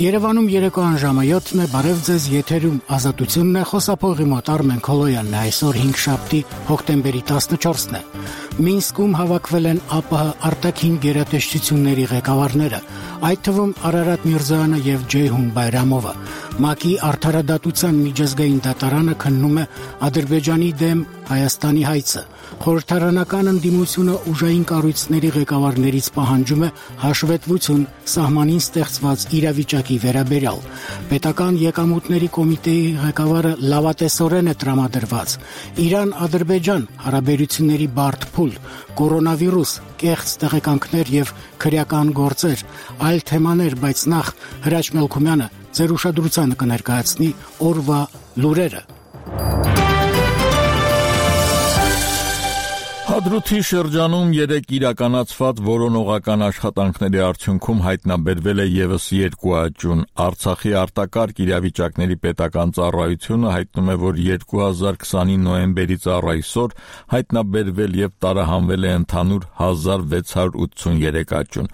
Երևանում երեկոյան ժամը 7-ն է, բարև ձեզ, եթերում ազատությունն է, խոսափողի մոտ Արմեն Քոլոյանն է, այսօր 5-շաբթի հոկտեմբերի 14-ն է։ Մինսկում հավաքվել են ԱՊՀ արտաքին գերատեսչությունների ղեկավարները, այդ թվում Արարատ Միրզոյանը եւ Ջեյհուն Բայրամովը։ ՄԱԿ-ի արդարադատության միջազգային դատարանը քննում է Ադրբեջանի դեմ Հայաստանի հայցը։ Խորհրդարանական ընդդիմությունը ուժային կառույցների ղեկավարներից պահանջում է հաշվետվություն սահմանին ստեղծված իրավիճակի վերաբերյալ։ Պետական եկամուտների կոմիտեի ղեկավարը լավատեսորեն է տրամադրված։ Իրան-Ադրբեջան հարաբերությունների բարդ փուլ, կորոնավիրուս, կեղծ տեղեկանքներ եւ քրեական գործեր, այլ թեմաներ, բայց նախ Հրաչ Մելքումյանը ձեր ուշադրությանը կներկայացնի օրվա լուրերը։ Հադրութի շրջանում 3 իրականացված որոնողական աշխատանքների արդյունքում հայտնաբերվել է ևս 2 աճուն։ Արցախի արտակարգ իրավիճակների պետական ծառայությունը հայտնում է, որ 2020-ի նոյեմբերից առ այսօր հայտնաբերվել եւ տարահանվել է ընդհանուր 1683 աճուն։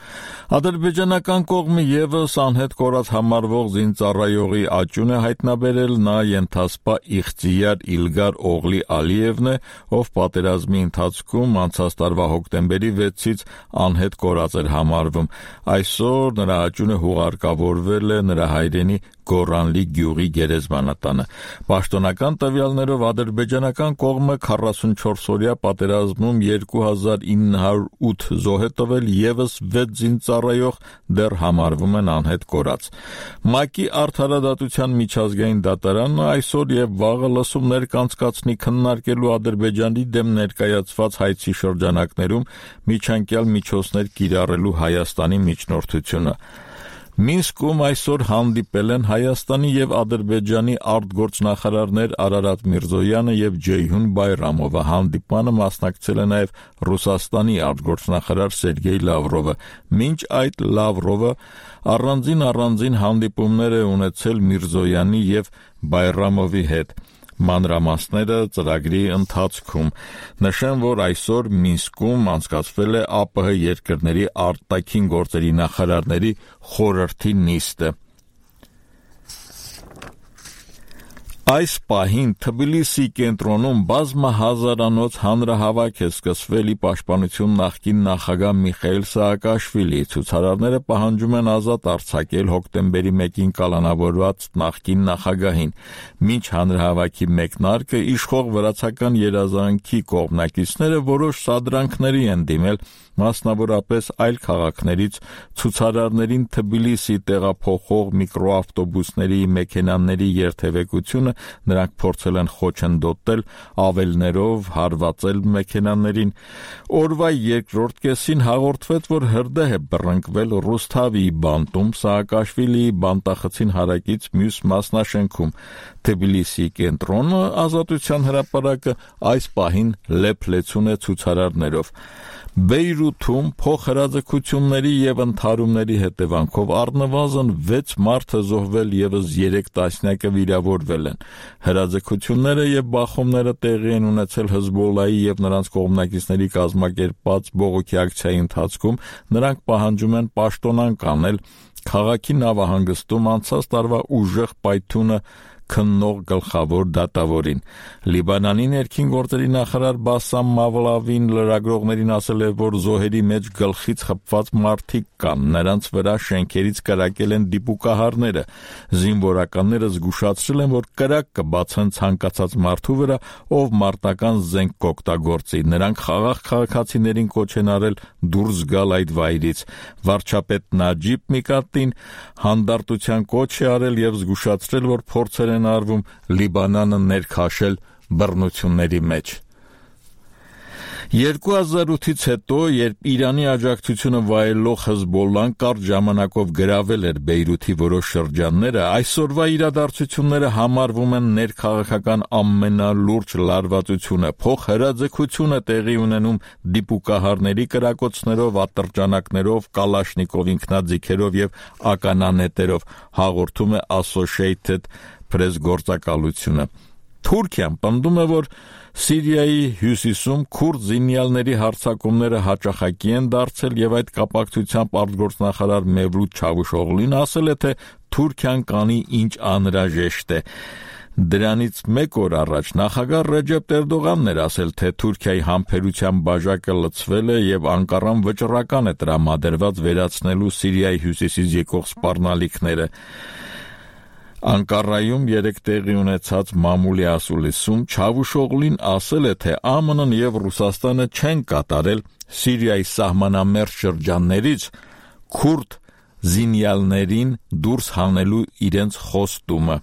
Ադրբեջանական կողմը ևս անհետ կորած համարվող զինծառայողի աճուն է հայտնաբերել, նա ենթասպա Իղծիար Իլգար Օղլի Ալիևն է, ով պատերազմի ընթացքում անցած տարվա հոկտեմբերի 6-ից անհետ կորած էր համարվում։ Այսօր նրա աճունը հուղարկավորվել է նրա հայրենի Գորանլի գյուղի գերեզմանատանը։ Պաշտոնական տվյալներով ադրբեջանական կողմը 44-օրյա պատերազմում 2908 զոհ է տվել, ևս 6 զինծառայող դեռ համարվում են անհետ կորած։ ՄԱԿ-ի արդարադատության միջազգային դատարանը այսօր եւ վաղը լսումներ կանցկացնի քննարկելու Ադրբեջանի դեմ ներկայացված հայցի շրջանակներում միջանկյալ միջոցներ կիրառելու Հայաստանի միջնորդությունը։ Մինսկում այսօր հանդիպել են Հայաստանի եւ Ադրբեջանի արտգործնախարարներ Արարատ Միրզոյանը եւ Ջեյհուն Բայրամովը։ Հանդիպմանը մասնակցել է նաեւ Ռուսաստանի արտգործնախարար Սերգեյ Լավրովը։ Մինչ այդ Լավրովը առանձին հանդիպումներ է ունեցել Միրզոյանի եւ Բայրամովի հետ։ Մանրամասները ծրագրի ընթացքում։ Նշեմ, որ այսօր Մինսկում անցկացվել է ԱՊՀ երկրների արտաքին գործերի նախարարների խորհրդի նիստը։ Այս պահին Թբիլիսի կենտրոնում բազմահազարանոց հանրահավաք է սկսվել պաշտպանություն նախկին նախագահ Միխայիլ Սաակաշվիլիի։ Ցուցարարները պահանջում են ազատ արձակել հոկտեմբերի 1-ին կալանավորված նախկին նախագահին։ Մինչ հանրահավաքի մեկնարկը իշխող վրացական երազանքի կողմնակիցները որոշ սադրանքների են դիմել, մասնավորապես այլ քաղաքներից ցուցարարներին Թբիլիսի տեղափոխող միկրոավտոբուսների մեքենաների երթևեկությունը նրանք փորձել են խոչընդոտել, ավելներով հարվածել մեքենաներին։ Օրվա երկրորդ կեսին հաղորդվեց, որ հրդեհ է բռնկվել Ռուսթավիի բանտում Սաակաշվիլիի բանտախցին հարակից մյուս մասնաշենքում։ Թբիլիսի կենտրոնը Ազատության հրապարակը այս պահին լեփլեցուն է ցուցարարներով։ Բեյրութում փոխհրաձգությունների եւ ընդհարումների հետևանքով առնվազն 6 մարդ է զոհվել, ևս 3 տասնյակը վիրավորվել են։ Հրաձգությունները եւ բախումները տեղի են ունեցել Հզբոլլահի եւ նրանց կողմնակիցների կազմակերպած բողոքի ակցիայի ընթացքում։ Նրանք պահանջում են պաշտոնանկ անել քաղաքի նավահանգստում անցած տարվա ուժեղ պայթյունը քննող գլխավոր դատավորին։ Լիբանանի ներքին գործերի նախարար Բասամ Մավլավին լրագրողներին ասել է, որ զոհերի մեջ գլխից խփված մարդիկ կան, նրանց վրա շենքերից կրակել են դիպուկահարները։ Զինվորականները զգուշացրել են, որ կրակ կբացեն ցանկացած մարդու վրա, ով մարտական զենք կօգտագործի։ Նրանք խաղաղ քաղաքացիներին կոչ են արել դուրս գալ այդ վայրից։ Վարչապետ Նաջիբ Միկատին հանդարտության կոչ է արել եւ զգուշացրել, որ փորձեր են արվում Լիբանանը ներքաշել բռնությունների մեջ։ 2008-ից հետո, երբ Իրանի աջակցությունը վայելող Հզբոլլահն կարճ ժամանակով գրավել էր Բեյրութի որոշ շրջանները, այսօրվա իրադարձությունները համարվում են ներքաղաքական ամենալուրջ լարվածությունը։ Փոխհրաձգությունը տեղի ունենում դիպուկահարների կրակոցներով, ատրճանակներով, Կալաշնիկով ինքնաձիգերով եւ ականանետերով, հաղորդում է Associated Press գործակալությունը։ Թուրքիան պնդում է, որ Սիրիայի հյուսիսում քուրդ զինյալների հարձակումները հաճախակի են դարձել եւ այդ կապակցությամբ արտգործնախարար Մևլութ Չավուշօղլուն ասել է, թե Թուրքիան կանի ինչ անհրաժեշտ է։ Դրանից մեկ օր առաջ նախագահ Ռեջեփ Էրդողանն էր ասել, թե Թուրքիայի համբերության բաժակը լցվել է եւ Անկարան վճռական է տրամադրված վերացնելու Սիրիայի հյուսիսից եկող սպառնալիքները։ Անկարայում երեկ տեղի ունեցած մամուլի ասուլիսում Չավուշօղլուն ասել է, թե ԱՄՆ-ն եւ Ռուսաստանը չեն կատարել Սիրիայի սահմանամերձ շրջաններից քուրդ զինյալներին դուրս հանելու իրենց խոստումը։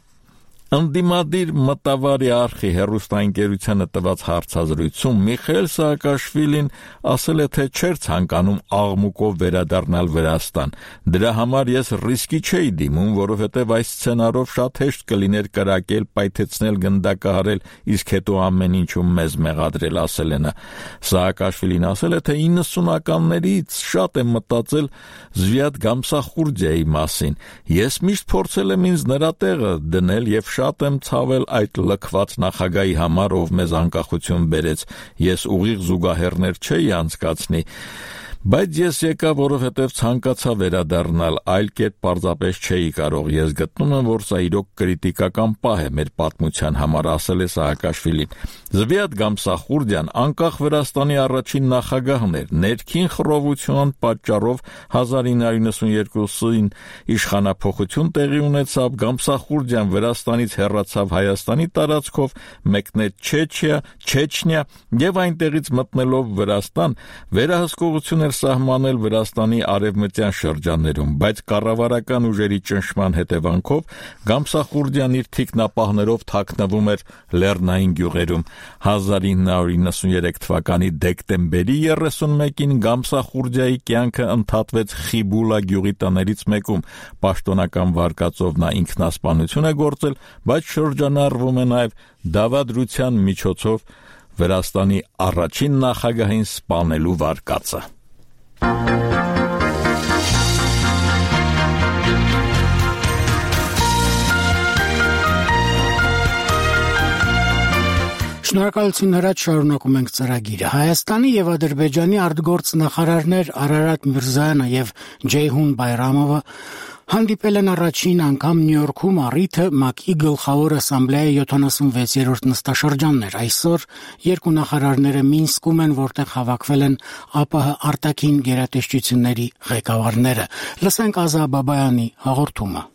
Ընդդիմադիր մտավարի արխի հեռուստաընկերությանը տված հարցազրույցում Միխայել Սաակաշվիլին ասել է, թե չէր ցանկանում աղմուկով վերադառնալ Վրաստան։ Դրա համար ես ռիսկի չէի դիմում, որովհետև այս սցենարով շատ հեշտ կլիներ կրակել, պայթեցնել, գնդակահարել, իսկ հետո ամեն ինչում մեզ մեղադրել, ասել է նա։ Սաակաշվիլին ասել է, թե 90-ականներից շատ եմ մտածել Զվիատ Գամսախուրդիայի մասին։ Ես միշտ փորձել եմ ինձ նրա տեղը դնել եւ շատ եմ ցավել այդ լքված նախագահի համար, ով մեզ անկախություն բերեց։ Ես ուղիղ զուգահեռներ չէի անցկացնի, բայց ես եկա, որովհետև ցանկացա վերադառնալ, այլ կերպ պարզապես չէի կարող։ Ես գտնում եմ, որ սա իրոք կրիտիկական պահ է մեր պատմության համար, ասել է Սաակաշվիլին։ Զվիատ Գամսախուրդիան անկախ Վրաստանի առաջին նախագահն էր։ Ներքին խռովության պատճառով 1992-ին իշխանափոխություն տեղի ունեցավ, Գամսախուրդիան Վրաստանից հեռացավ Հայաստանի տարածքով, մեկնեց Չեչնիա եւ այնտեղից մտնելով Վրաստան վերահսկողություն սահմանել Վրաստանի արևմտյան շրջաններում, բայց կառավարական ուժերի ճնշման հետևանքով Գամսախուրդիան իր թիկնապահներով թաքնվում էր լեռնային գյուղերում։ 1993 թվականի դեկտեմբերի 31-ին Գամսախուրդիայի կյանքը ընդհատվեց Խիբուլա գյուղի տներից մեկում։ Պաշտոնական վարկածով նա ինքնասպանություն է գործել, բայց շրջանառվում է նաև դավադրության միջոցով Վրաստանի առաջին նախագահին սպանելու վարկածը։ Շնորհակալություն Հրաչ, շարունակում ենք ծրագիրը։ Հայաստանի եւ Ադրբեջանի արտգործնախարարներ Արարատ Միրզոյանը եւ Ջեյհուն Բայրամովը հանդիպել են առաջին անգամ Նյու Յորքում առիթը ՄԱԿ-ի գլխավոր ասամբլեայի 76-րդ նստաշրջաններ։ Այսօր երկու նախարարները Մինսկում են, որտեղ հավաքվել են ԱՊՀ արտաքին գերատեսչությունների ղեկավարները։ Լսենք Ազա Բաբայանի հաղորդումը։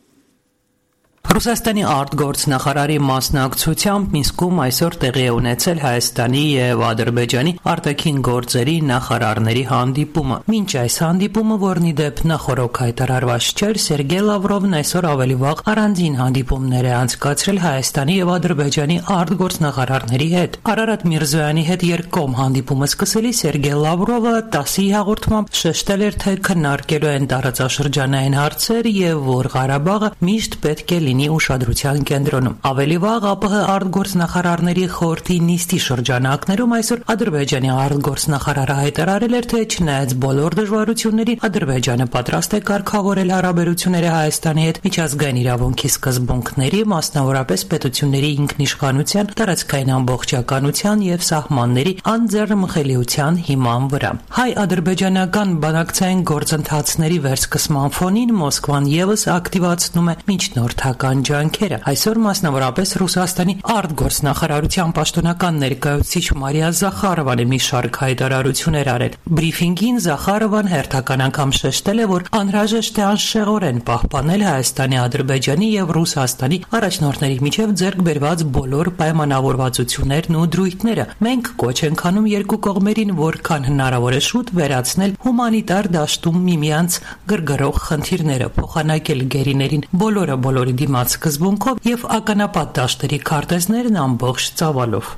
Ռուսաստանի արտգործնախարարի մասնակցությամբ Մինսկում այսօր տեղի է ունեցել Հայաստանի եւ Ադրբեջանի արտաքին գործերի նախարարների հանդիպումը։ Մինչ այս հանդիպումը, որն ի դեպ նախորոք հայտարարված չէր, Սերգեյ Լավրովն այսօր ավելի վաղ առանձին հանդիպումներ է անցկացրել Հայաստանի եւ Ադրբեջանի արտգործնախարարների հետ։ Արարատ Միրզոյանի հետ երկկողմ հանդիպումը սկսելիս Սերգեյ Լավրովը 10-ի հաղորդմամբ շեշտել էր, թե քննարկելու են տարածաշրջանային հարցեր եւ որ Ղարաբաղը միշտ պետք է լինի ուշադրության կենտրոնում։ Ավելի վաղ ԱՊՀ արտգործնախարարների խորհրդի նիստի շրջանակներում այսօր Ադրբեջանի արտգործնախարարը հայտարարել էր, թե չնայած բոլոր դժվարություններին Ադրբեջանը պատրաստ է կարգավորել հարաբերությունները Հայաստանի հետ միջազգային իրավունքի սկզբունքների, մասնավորապես պետությունների ինքնիշխանության, տարածքային ամբողջականության եւ սահմանների անձեռնմխելիության հիման վրա։ Հայ-ադրբեջանական բանակցային գործընթացների վերսկսման ֆոնին Մոսկվան եւս ակտիվացնում է միջնորդական ջանքերը։ Այսօր մասնավորապես Ռուսաստանի արտգործնախարարության պաշտոնական ներկայացուցիչ Մարիա Զախարովան մի շարք հայտարարություններ արել։ Բրիֆինգին Զախարովան հերթական անգամ շեշտել է, որ անհրաժեշտ է անշեղորեն պահպանել Հայաստանի, Ադրբեջանի եւ Ռուսաստանի առաջնորդների միջև ձեռք բերված բոլոր պայմանավորվածություններն ու դրույթները։ Մենք կոչ ենք անում երկու կողմերին որքան հնարավոր է շուտ վերացնել հումանիտար դաշտում միմյանց գրգռող խնդիրները, փոխանակել գերիներին բոլորի դիմաց սկզբունքով եւ ականապատ դաշտերի քարտեզներն ամբողջ ծավալով։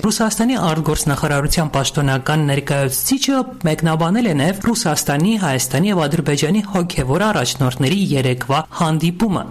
Ռուսաստանի արտգործնախարարության պաշտոնական ներկայացուցիչը մեկնաբանել է նաև Ռուսաստանի, Հայաստանի եւ Ադրբեջանի հոգեվոր առաջնորդների երեկվա հանդիպումը։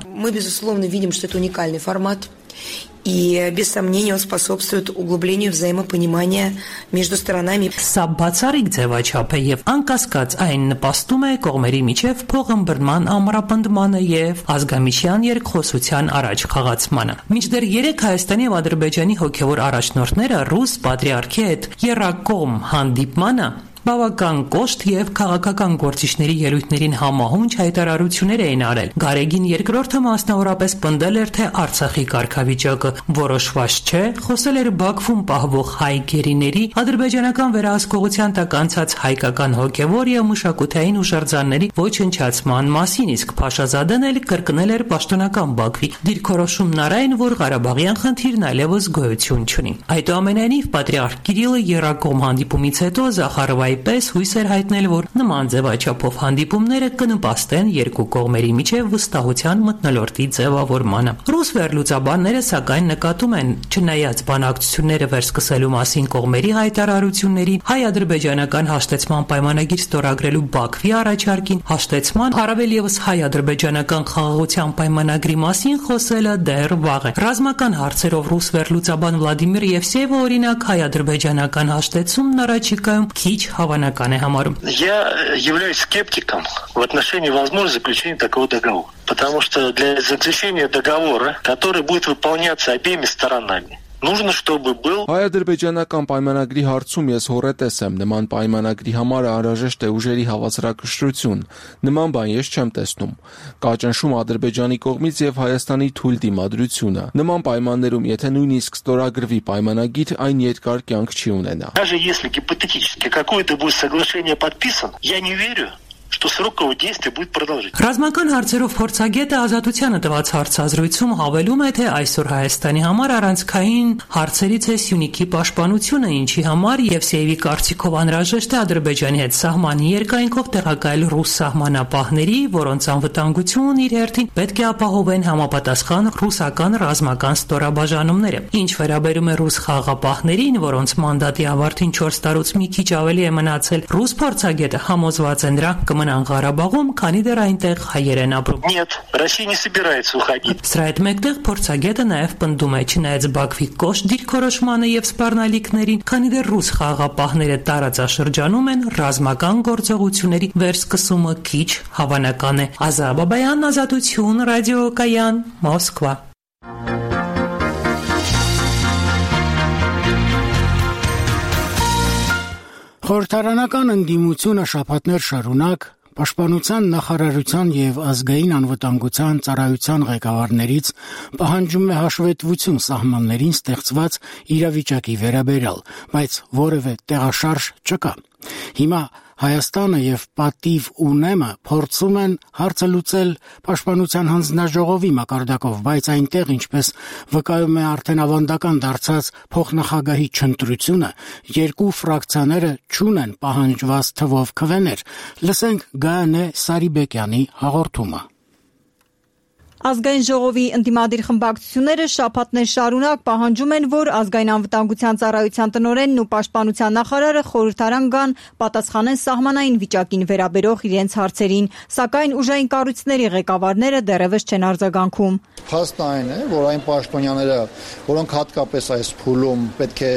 И, без сомнения, он способствует углублению взаимопонимания между сторонами. Սա բացառիկ ձևաչափ է եւ անկասկած այն նպաստում է կողմերի միջև փոխըմբռնման ամրապնդմանը եւ ազգամիջյան երկխոսության առաջ խաղացմանը։ Մինչդեռ 3 Հայաստանի եւ Ադրբեջանի հոգեվոր առաջնորդները ռուս պատրիարքի հետ եռակողմ հանդիպմանը բավական կոշտ եւ քաղաքական գործիչների ելույթներին համահունչ հայտարարություններ էին արել։ Գարեգին երկրորդը մասնավորապես պնդել էր, թե Արցախի կարգավիճակը որոշված չէ, խոսել էր Բաքվում պահվող հայ գերիների, ադրբեջանական վերահսկողության տակ անցած հայկական հոգեվոր եւ մշակութային ուժարձանների ոչնչացման մասին, իսկ Փաշազադեն էլ կրկնել էր պաշտոնական Բաքվի դիրքորոշումն առայն, որ Ղարաբաղյան խնդիրն այլևս գոյություն չունի։ Այդուամենայնիվ պատրիարք Կիրիլը եռակողմ հանդիպումից հետո Զախարովայի պես հույս էր հայտնել, որ նման ձևաչափով հանդիպումները կնպաստեն երկու կողմերի միջև վստահության մթնոլորտի ձևավորմանը։ Ռուս վերլուծաբանները սակայն նկատում են, չնայած բանակցությունները վերսկսելու մասին կողմերի հայտարարություններին, հայ-ադրբեջանական հաշտեցման պայմանագիր ստորագրելու Բաքվի առաջարկին, հաշտեցման, առավել եւս հայ-ադրբեջանական խաղաղության պայմանագրի մասին խոսելը դեռ վաղ է։ Ռազմական հարցերով ռուս վերլուծաբան Վլադիմիր Եվսեևը օրինակ հայ-ադրբեջանական հաշտեցումն առաջիկայում քիչ հավանական է համարում։ Я являюсь скептиком в отношении возможности заключения такого договора. Потому что для заключения договора, который будет выполняться обеими сторонами, нужно, чтобы был հայ-ադրբեջանական պայմանագրի հարցում ես հոռետես եմ, նման պայմանագրի համար անհրաժեշտ է ուժերի հավասարակշռություն, նման բան ես չեմ տեսնում, կա ճնշում Ադրբեջանի կողմից եւ Հայաստանի թույլ դիմադրությունը, նման պայմաններում եթե նույնիսկ ստորագրվի պայմանագիր, այն երկար կյանք չի ունենա։ Даже если гипотетически какое-то будет соглашение подписано, я не верю, что срок его действия будет продолжительным. Ռազմական հարցերով փորձագետը Ազատությանը տված հարցազրույցում հավելում է, թե այսօր Հայաստանի համար առանցքային հարցերից է Սյունիքի պաշտպանությունը, ինչի համար Եվսեևի կարծիքով անհրաժեշտ է Ադրբեջանի հետ սահմանի երկայնքով տեղակայել ռուս սահմանապահների, որոնց անվտանգությունն իր հերթին պետք է ապահովեն համապատասխան ռուսական ռազմական ստորաբաժանումները։ Ինչ վերաբերում է ռուս խաղաղապահներին, որոնց մանդատի ավարտին 4 տարուց մի քիչ ավելի է մնացել, ռուս փորձագետը համոզված է նրանք կմնան Ղարաբաղում, քանի դեռ այնտեղ հայեր են ապրում։ Нет, Россия не собирается уходить. Սրա հետ մեկտեղ փորձագետը նաև պնդում է, չնայած Բաքվի կոշտ դիրքորոշմանը եւ սպառնալիքներին, քանի դեռ ռուս խաղաղապահները տարածաշրջանում են, ռազմական գործողությունների վերսկսումը քիչ հավանական է։ Ազա Բաբայան, Ազատություն, ռադիոկայան, Մոսկվա։ Խորհրդարանական ընդդիմությունը շաբաթներ շարունակ Պաշտպանության նախարարության եւ ազգային անվտանգության ծառայության ղեկավարներից պահանջում է հաշվետվություն սահմաններին ստեղծված իրավիճակի վերաբերյալ, բայց որևէ տեղաշարժ չկա։ Հիմա Հայաստանը եւ Պատիվ ունեմը փորձում են հարցը լուծել Պաշտպանության հանձնաժողովի մակարդակով, բայց այնտեղ, ինչպես վկայում է արդեն ավանդական դարձած փոխնախագահի չընտրությունը, երկու ֆրակցիաները չունեն պահանջված թվով քվեներ։ Լսենք Գայանե Սարիբեկյանի հաղորդումը։ Ազգային ժողովի ընդդիմադիր խմբակցությունները շաբաթներ շարունակ պահանջում են, որ ազգային անվտանգության ծառայության տնօրենն ու պաշտպանության նախարարը խորհրդարան գան, պատասխանեն սահմանային վիճակին վերաբերող իրենց հարցերին, սակայն ուժային կառույցների ղեկավարները դեռևս չեն արձագանքում։ Փաստն այն է, որ այն պաշտոնյաները, որոնք հատկապես այս փուլում պետք է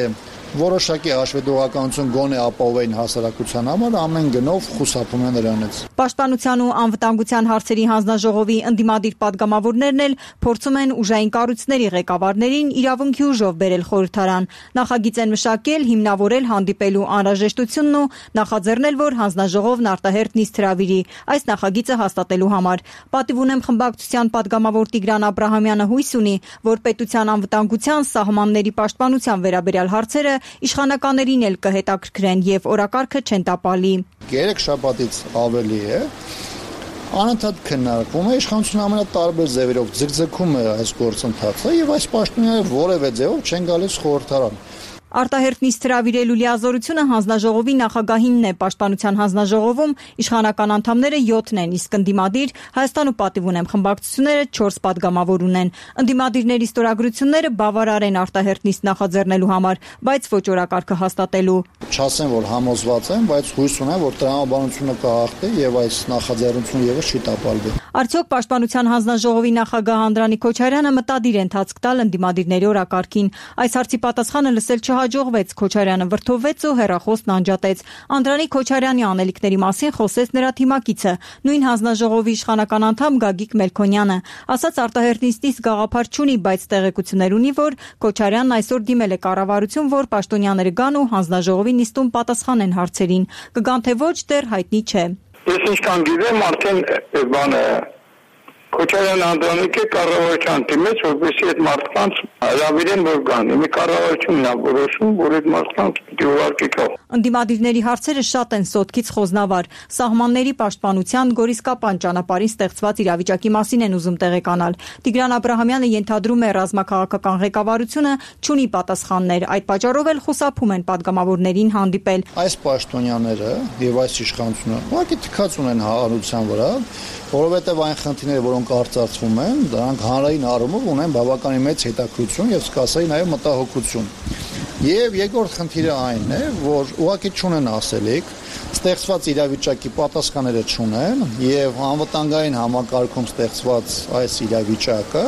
որոշակի հաշվետվողականություն գոնե ապահովեն հասարակության համար, ամեն գնով խուսափում են նրանից։ Պաշտպանության ու անվտանգության հարցերի հանձնաժողովի ընդդիմադիր պատգամավորներն էլ փորձում են ուժային կառույցների ղեկավարներին իրավունքի ուժով բերել խորհրդարան, նախագիծ են մշակել, հիմնավորել հանդիպելու անհրաժեշտությունն ու նախաձեռնել, որ հանձնաժողովն արտահերթ նիստ հրավիրի այս նախագիծը հաստատելու համար։ Պատիվ ունեմ խմբակցության պատգամավոր Տիգրան Աբրահամյանը հույս ունի, որ պետության անվտանգության, սահմանների պաշտպանության վերաբերյալ հարցերը իշխանականներին էլ կհետաքրքրեն եւ օրակարգը չեն տապալի։ 3 շաբաթից ավելի է անընդհատ քննարկվում է իշխանությունը ամենատարբեր ձևերով ձգձգում է այս գործընթացը եւ այս պաշտոնյաները որևէ ձևով չեն գալիս խորհրդարան։ Արտահերթ նիստ հրավիրելու լիազորությունը հանձնաժողովի նախագահինն է։ Պաշտպանության հանձնաժողովում իշխանական անդամները 7 են, իսկ ընդդիմադիր Հայաստան ու պատիվ ունեմ խմբակցությունները 4 պատգամավոր ունեն։ Ընդդիմադիրների ստորագրությունները բավարար են արտահերթ նիստ նախաձեռնելու համար, բայց ոչ օրակարգը հաստատելու։ Չասեմ, որ համոզված եմ, բայց հույս ունեմ, որ տրամաբանությունը կհաղթի եւ այս նախաձեռնությունը եւս չի տապալվի։ Արդյոք Պաշտպանության հանձնաժողովի նախագահ Անդրանիկ Քոչարյանը մտադիր է ընթացք տալ ընդդիմադիրների օրակարգին։ Այս հարցի պատասխանը լսել չհաջողվեց։ Քոչարյանը վրդովվեց ու հեռախոսն անջատեց։ Անդրանիկ Քոչարյանի անելիքների մասին խոսեց նրա թիմակիցը, նույն հանձնաժողովի իշխանական անդամ Գագիկ Մելքոնյանը։ Ասաց արտահերթ նիստից գաղափար չունի, բայց տեղեկություններ ունի, որ Քոչարյանն այսօր դիմել է կառավարություն, որ պաշտոնյաները գան ու հանձնաժողովի նիստում պատասխանեն հարցերին։ Կգան թե ոչ, դեռ հայտնի չէ։ Ես ինչքան գիտեմ, արդեն բանը Քոչարյան Անդրանիկը կառավարության դիմեց, որպեսզի այդ մարդկանց հրավիրեն, որ գան։ Մի կառավարությունն է որոշում, որ այդ մարդկանց պիտի ուղարկի գա։ Ընդդիմադիրների հարցերը շատ են սոտքից խոզնավար։ Սահմանների պաշտպանության գորիսկապան ճանապարհին ստեղծված իրավիճակի մասին են ուզում տեղեկանալ։ Տիգրան Աբրահամյանը ենթադրում է ռազմաքաղաքական ղեկավարությունը չունի պատասխաններ, այդ պատճառով էլ խուսափում են պատգամավորներին հանդիպել։ Այս պաշտոնյաները եւ այս իշխանությունը ուղղակի թքած ունեն հանրության վրա, որովհետեւ այն խնդիրները, որոնք արծարծվում են, դրանք հանրային առումով ունեն բավականին մեծ հետաքրքրություն եւ սկսայի նաեւ մտահոգություն։ Եվ երկրորդ խնդիրը այն է, որ ուղղակի չունեն ասելիք, ստեղծված իրավիճակի պատասխանները չունեն եւ անվտանգային համակարգում ստեղծված այս իրավիճակը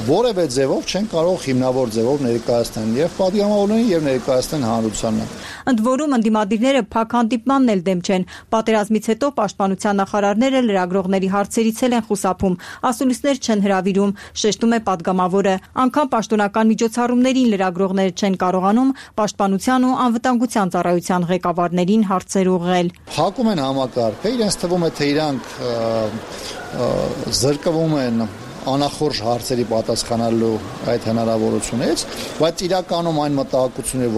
որևէ ձևով չեն կարող հիմնավոր ձևով ներկայացնել եւ պատգամավորներին եւ ներկայացնել հանրությանը։ Ընդ որում ընդդիմադիրները փակ հանդիպմանն էլ դեմ չեն։ Պատերազմից հետո պաշտպանության նախարարները լրագրողների հարցերից են խուսափում, ասուլիսներ չեն հրավիրում, շեշտում է պատգամավորը։ Անկամ պաշտոնական միջոցառումներին լրագրողները չեն կարողանում պաշտպանության ու անվտանգության ծառայության ղեկավարներին հարցեր ուղղել։ Փակում են համակարգը, իրենց թվում է թե իրանք զրկվում են անախորժ հարցերի պատասխանելու այդ հնարավորությունից, բայց իրականում այն մտահոգությունները,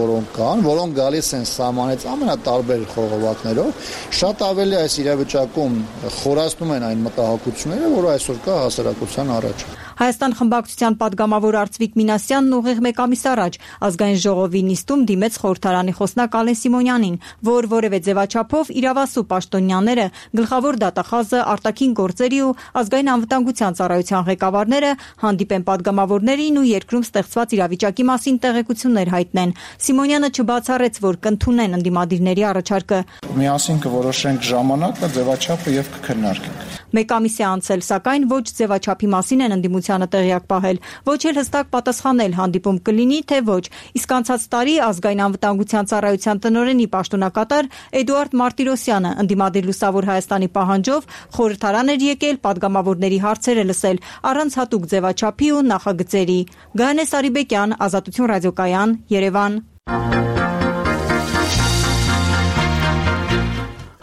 որոնք գալիս են սահմանից ամենատարբեր խողովակներով, շատ ավելի այս իրավիճակում խորացնում են այն մտահոգությունները, որը այսօր կա հասարակության առաջ։ Հայաստան խմբակցության պատգամավոր Արծվիկ Մինասյանն ուղիղ մեկ ամիս առաջ ազգային ժողովի նիստում դիմեց խորհրդարանի խոսնակ Ալեն Սիմոնյանին, որ որևէ ձևաչափով իրավասու պաշտոնյաները, գլխավոր դատախազը, արտաքին գործերի ու ազգային անվտանգության ծառայության ղեկավարները հանդիպեն պատգամավորներին ու երկրում ստեղծված իրավիճակի մասին տեղեկություններ հայտնեն։ Սիմոնյանը չբացառեց, որ կընդունեն ընդդիմադիրների առաջարկը։ Միասին կորոշենք ժամանակը, ձևաչափը եւ կքննարկենք։ Մեկ ամիս է անցել, սակայն ոչ ձևաչափի մասին են ընդդիմությանը տեղյակ պահել, ոչ էլ հստակ պատասխանել հանդիպում կլինի, թե ոչ։ Իսկ անցած տարի ազգային անվտանգության ծառայության տնօրենի պաշտոնակատար Էդուարդ Մարտիրոսյանը ընդդիմադիր Լուսավոր Հայաստանի պահանջով խորհրդարան էր եկել պատգամավորների հարցերը լսել առանց հատուկ ձևաչափի ու նախագծերի։ Գայանե Սարիբեկյան, Ազատություն ռադիոկայան, Երևան։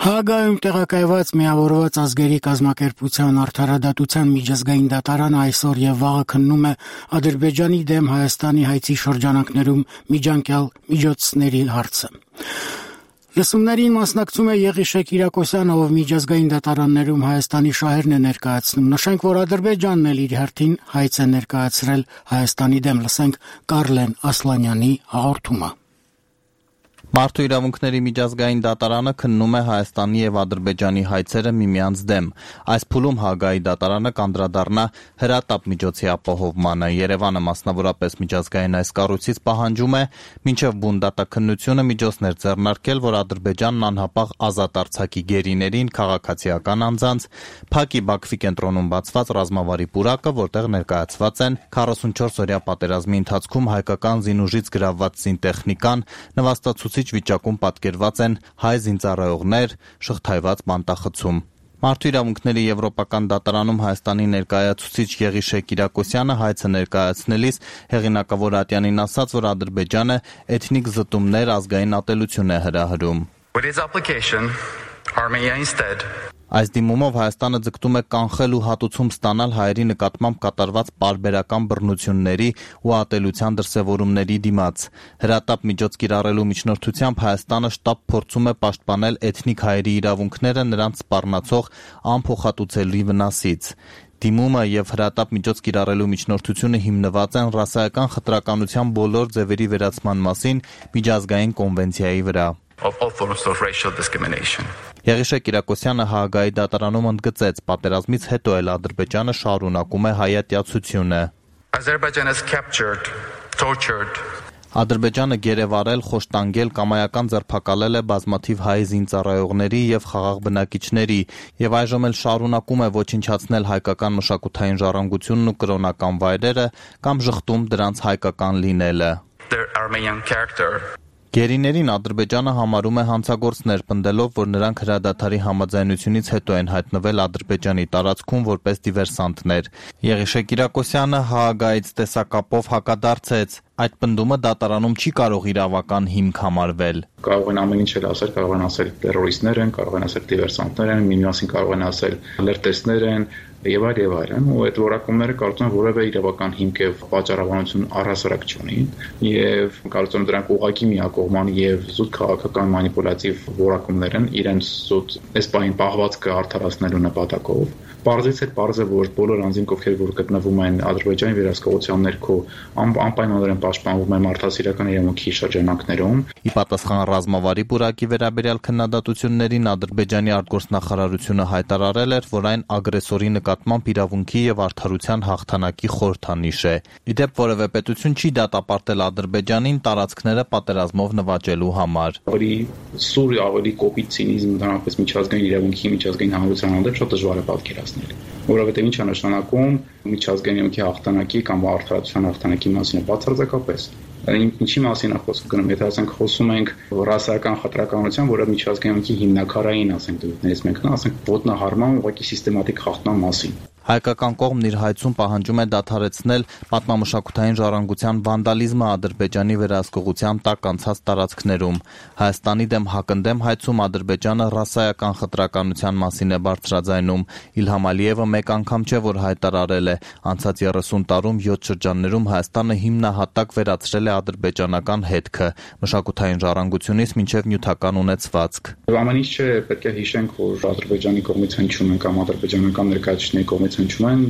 Հագայում տեղակայված միավորված ազգերի կազմակերպության արդարադատության միջազգային դատարանը այսօր եւ վաղը քննում է Ադրբեջանի դեմ Հայաստանի հայցի շրջանակներում միջանկյալ միջոցների հարցը։ Լսումներին մասնակցում է Եղիշե Կիրակոսյանը, ով միջազգային դատարաններում Հայաստանի շահերն է ներկայացնում։ Նշենք, որ Ադրբեջանն էլ իր հերթին հայց է ներկայացրել Հայաստանի դեմ։ Լսենք Կարլեն Ասլանյանի հաղորդումը։ Մարդու իրավունքների միջազգային դատարանը քննում է Հայաստանի եւ Ադրբեջանի հայցերը միմյանց դեմ։ Այս փուլում Հագայի դատարանը կանդրադառնա հրատապ միջոցի ապահովմանը։ Երևանը մասնավորապես միջազգային այս կառույցից պահանջում է մինչև բուն դատաքննությունը միջոցներ ձեռնարկել, որ Ադրբեջանն անհապաղ ազատ արձակի գերիներին, քաղաքացիական անձանց, Փակի Բաքվի կենտրոնում բացված ռազմավարի պուրակը, որտեղ ներկայացված են 44-օրյա պատերազմի ընթացքում հայկական զինուժից գրավված զինտեխնիկան, նվաստացուցիչ վիճակում պատկերված են հայ զինծառայողներ, շղթայված բանտախցում։ Մարդու իրավունքների եվրոպական դատարանում Հայաստանի ներկայացուցիչ Եղիշե Կիրակոսյանը հայցը ներկայացնելիս հեղինակավոր Ատյանին ասաց, որ Ադրբեջանը էթնիկ զտումներ, ազգային ատելություն է հրահրում։ Այս դիմումով Հայաստանը ձգտում է կանխել ու հատուցում ստանալ հայերի նկատմամբ կատարված պարբերական բռնությունների ու ատելության դրսևորումների դիմաց։ Հրատապ միջոց կիրառելու միջնորդությամբ Հայաստանը շտապ փորձում է պաշտպանել էթնիկ հայերի իրավունքները նրանց սպառնացող անփոխհատուցելի վնասից։ Դիմումը եւ հրատապ միջոց կիրառելու միջնորդությունը հիմնված են ռասայական խտրականության բոլոր ձևերի վերացման մասին միջազգային կոնվենցիայի վրա։ Եղիշե Կիրակոսյանը Հաագայի դատարանում ընդգծեց, պատերազմից հետո էլ Ադրբեջանը շարունակում է հայատյացությունը։ Ադրբեջանը գերեվարել, խոշտանգել, կամայական ձերբակալել է բազմաթիվ հայ զինծառայողների եւ խաղաղ բնակիչների եւ այժմ էլ շարունակում է ոչնչացնել հայկական մշակութային ժառանգությունն ու կրոնական վայրերը կամ ժխտում դրանց հայկական լինելը։ Գերիներին Ադրբեջանը համարում է հանցագործներ, պնդելով, որ նրանք հրադադարի համաձայնությունից հետո են հայտնվել Ադրբեջանի տարածքում որպես դիվերսանտներ։ Եղիշե Կիրակոսյանը Հաագայից տեսակապով հակադարձեց. այդ պնդումը դատարանում չի կարող իրավական հիմք համարվել։ Կարող են ամեն ինչ ասել, կարող են ասել տերորիստներ են, կարող են ասել դիվերսանտներ են, միմասին կարող են ասել լրտեսներ են եւ այլն, ու այդ որակումները կարծում եմ որևէ իրավական հիմք եւ պատճառաբանություն առհասարակ չունի, եւ կարծում եմ դրանք ուղղակի միակողման եւ զուտ քաղաքական մանիպուլյատիվ որակումներ են իրենց զուտ էսպային պահվածքը արդարացնելու նպատակով։ Պարզից է պարզ է, որ բոլոր անձինք, ովքեր որ գտնվում են Ադրբեջանի վերահսկողության ներքո, անպայմանորեն պաշտպանվում են մարդասիրական իրավունքի շրջանակներում։ Ի պատասխան ռազմավարի պուրակի վերաբերյալ քննադատություններին Ադրբեջանի արտգործնախարարությունը հայտարարել էր, որ այն ագրեսորի նկատմամբ իրավունքի եւ արդարության հաղթանակի խորհրդանիշ է։ Ի դեպ որևէ պետություն չի դատապարտել Ադրբեջանին տարածքները պատերազմով նվաճելու համար։ Ավելի սուր, ավելի կոպիտ ցինիզմ դրանպես միջազգային իրավունքի, միջազգային հանրության հանդեպ շատ դժվար է պատկերացնել։ Որովհետև ինչ է նշանակում միջազգային իրավունքի հաղթանակի կամ արդարացության հաղթանակի մասին բացարձակապես։ Ինչի մասին է խոսքը գնում, եթե ասենք խոսում ենք ռասայական խտրականության, որը միջազգային իրավունքի հիմնակարային, ասենք դեպքներից մեկն է, ասենք ոտնահարման ուղղակի սիստեմատիկ խախտման մասին։ Հայկական կողմն իր հայցում պահանջում է դադարեցնել պատմամշակութային ժառանգության վանդալիզմը Ադրբեջանի վերահսկողության տակ անցած տարածքներում։ Հայաստանի դեմ հակընդդեմ հայցում Ադրբեջանը ռասայական խտրականության մասին է բարձրաձայնում։ Իլհամ Ալիևը մեկ անգամ չէ, որ հայտարարել է, անցած 30 տարում 7 շրջաններում Հայաստանը հիմնահատակ վերացրել է ադրբեջանական հետքը, մշակութային ժառանգությունից մինչև նյութական ունեցվածք։ Ամեն ինչ չէ, պետք է հիշենք, որ Ադրբեջանի կողմից հնչում են կամ ադրբեջանական ներկայացուցիչների կողմից հնչում են,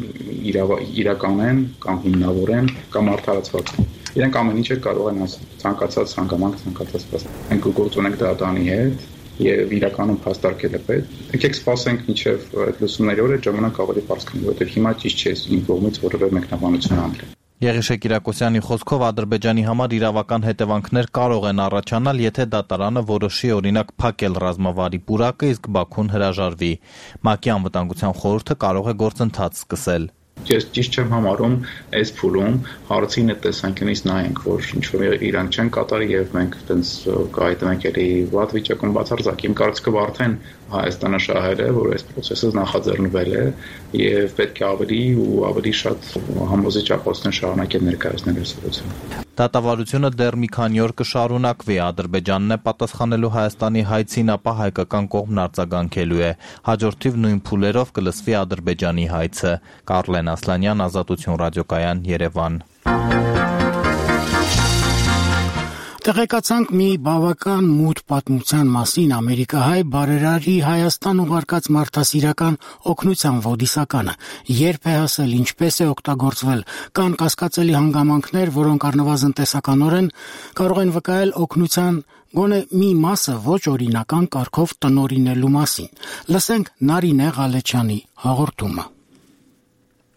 իրական են կամ հիմնավոր են կամ արդարացված են։ Իրենք ամեն ինչը կարող են ասել, ցանկացած հանգամանք, ցանկացած փաստ։ Մենք գործ ունենք դատարանի հետ եւ իրականում փաստարկել է պետք։ Եկեք սպասենք մինչեւ այդ լուսումների օրը ժամանակ ավելի բարձր կլինի, որովհետեւ հիմա ճիշտ չէ իմ կողմից որևէ մեկնաբանություն անել։ Եղիշե Կիրակոսյանի խոսքով Ադրբեջանի համար իրավական հետևանքներ կարող են առաջանալ, եթե դատարանը որոշի օրինակ փակել ռազմավարի պուրակը, իսկ Բաքուն հրաժարվի։ ՄԱԿ-ի անվտանգության խորհուրդը կարող է գործընթաց սկսել։ Ես ճիշտ չեմ համարում այս փուլում հարցին այդ տեսանկյունից նայենք, որ ինչ-որ իրանք չեն կատարի եւ մենք այտենց կայտնենք էլի վատ վիճակում բացարձակ։ Իմ կարծիքով արդեն Հայաստանը շահել է, որ այս process-ը նախաձեռնվել է եւ պետք է ավելի ու ավելի շատ համոզիչ ակոսներ շարունակել ներկայացնել այս ուղղությամբ։ Դատավարությունը դեռ մի քանի օր կշարունակվի, Ադրբեջանն է պատասխանելու Հայաստանի հայցին, ապա հայկական կողմն արձագանքելու է։ Հաջորդիվ նույն փուլերով կլսվի Ադրբեջանի հայցը։ Կարլեն Ասլանյան, Ազատություն ռադիոկայան, Երևան։ Տեղեկացանք մի բավական մութ պատմության մասին ամերիկահայ բարերարի Հայաստան ուղարկած մարդասիրական օգնության ոդիսականը, երբ է հասել, ինչպես է օգտագործվել, կան կասկածելի հանգամանքներ, որոնք առնվազն տեսականորեն կարող են վկայել օգնության գոնե մի մասը ոչ օրինական կարգով տնօրինելու մասին։ Լսենք Նարինե Ղալեչյանի հաղորդումը։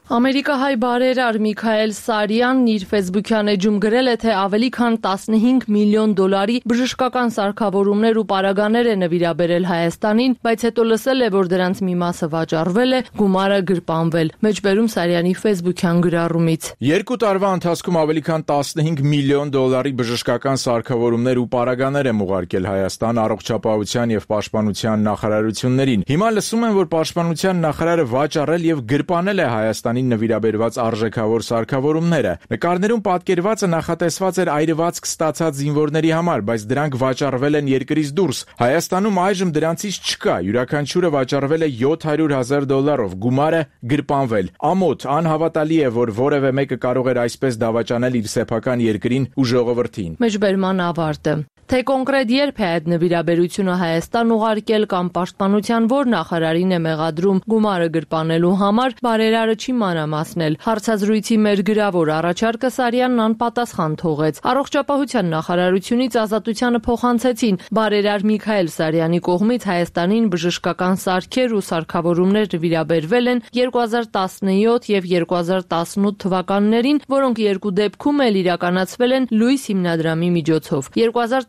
Ամերիկահայ բարերար Միքայել Սարյանն իր ֆեյսբուքյան էջում գրել է, թե ավելի քան 15 միլիոն դոլարի բժշկական սարքավորումներ ու պարագաներ է նվիրաբերել Հայաստանին, բայց հետո լսել է, որ դրանց մի մասը վաճառվել է, գումարը գրպանվել։ Մեջբերում Սարյանի ֆեյսբուքյան գրառումից։ 2 տարվա ընթացքում ավելի քան 15 միլիոն դոլարի բժշկական սարքավորումներ ու պարագաներ եմ ուղարկել Հայաստան առողջապահության եւ պաշտպանության նախարարություններին։ Հիմա լսում եմ, որ պաշտպանության նախարարը վաճառել եւ գրպանել է Հայաստանի Հայաստանին նվիրաբերված արժեքավոր սարքավորումները։ Նկարներում պատկերվածը նախատեսված էր այրվածք ստացած զինվորների համար, բայց դրանք վաճառվել են երկրից դուրս։ Հայաստանում այժմ դրանցից չկա, յուրաքանչյուրը վաճառվել է $700,000, գումարը գրպանվել։ Ամոթ, անհավատալի է, որ որևէ մեկը կարող էր այսպես դավաճանել իր սեփական երկրին ու ժողովրդին։ Մեջբերման ավարտը։ Թե կոնկրետ երբ է այդ նվիրաբերությունը Հայաստան ուղարկել կամ պաշտպանության որ նախարարին է մեղադրում գումարը գրպանելու համար, բարերարը չի մանրամասնել։ Հարցազրույցի մեր գրավոր առաջարկը Սարյանն անպատասխան թողեց։ Առողջապահության նախարարությունից Ազատությանը փոխանցեցին բարերար Միքայել Սարյանի կողմից Հայաստանին բժշկական սարքեր ու սարքավորումներ նվիրաբերվել են 2017 եւ 2018 թվականներին, որոնք երկու դեպքում էլ իրականացվել են Լույս հիմնադրամի միջոցով։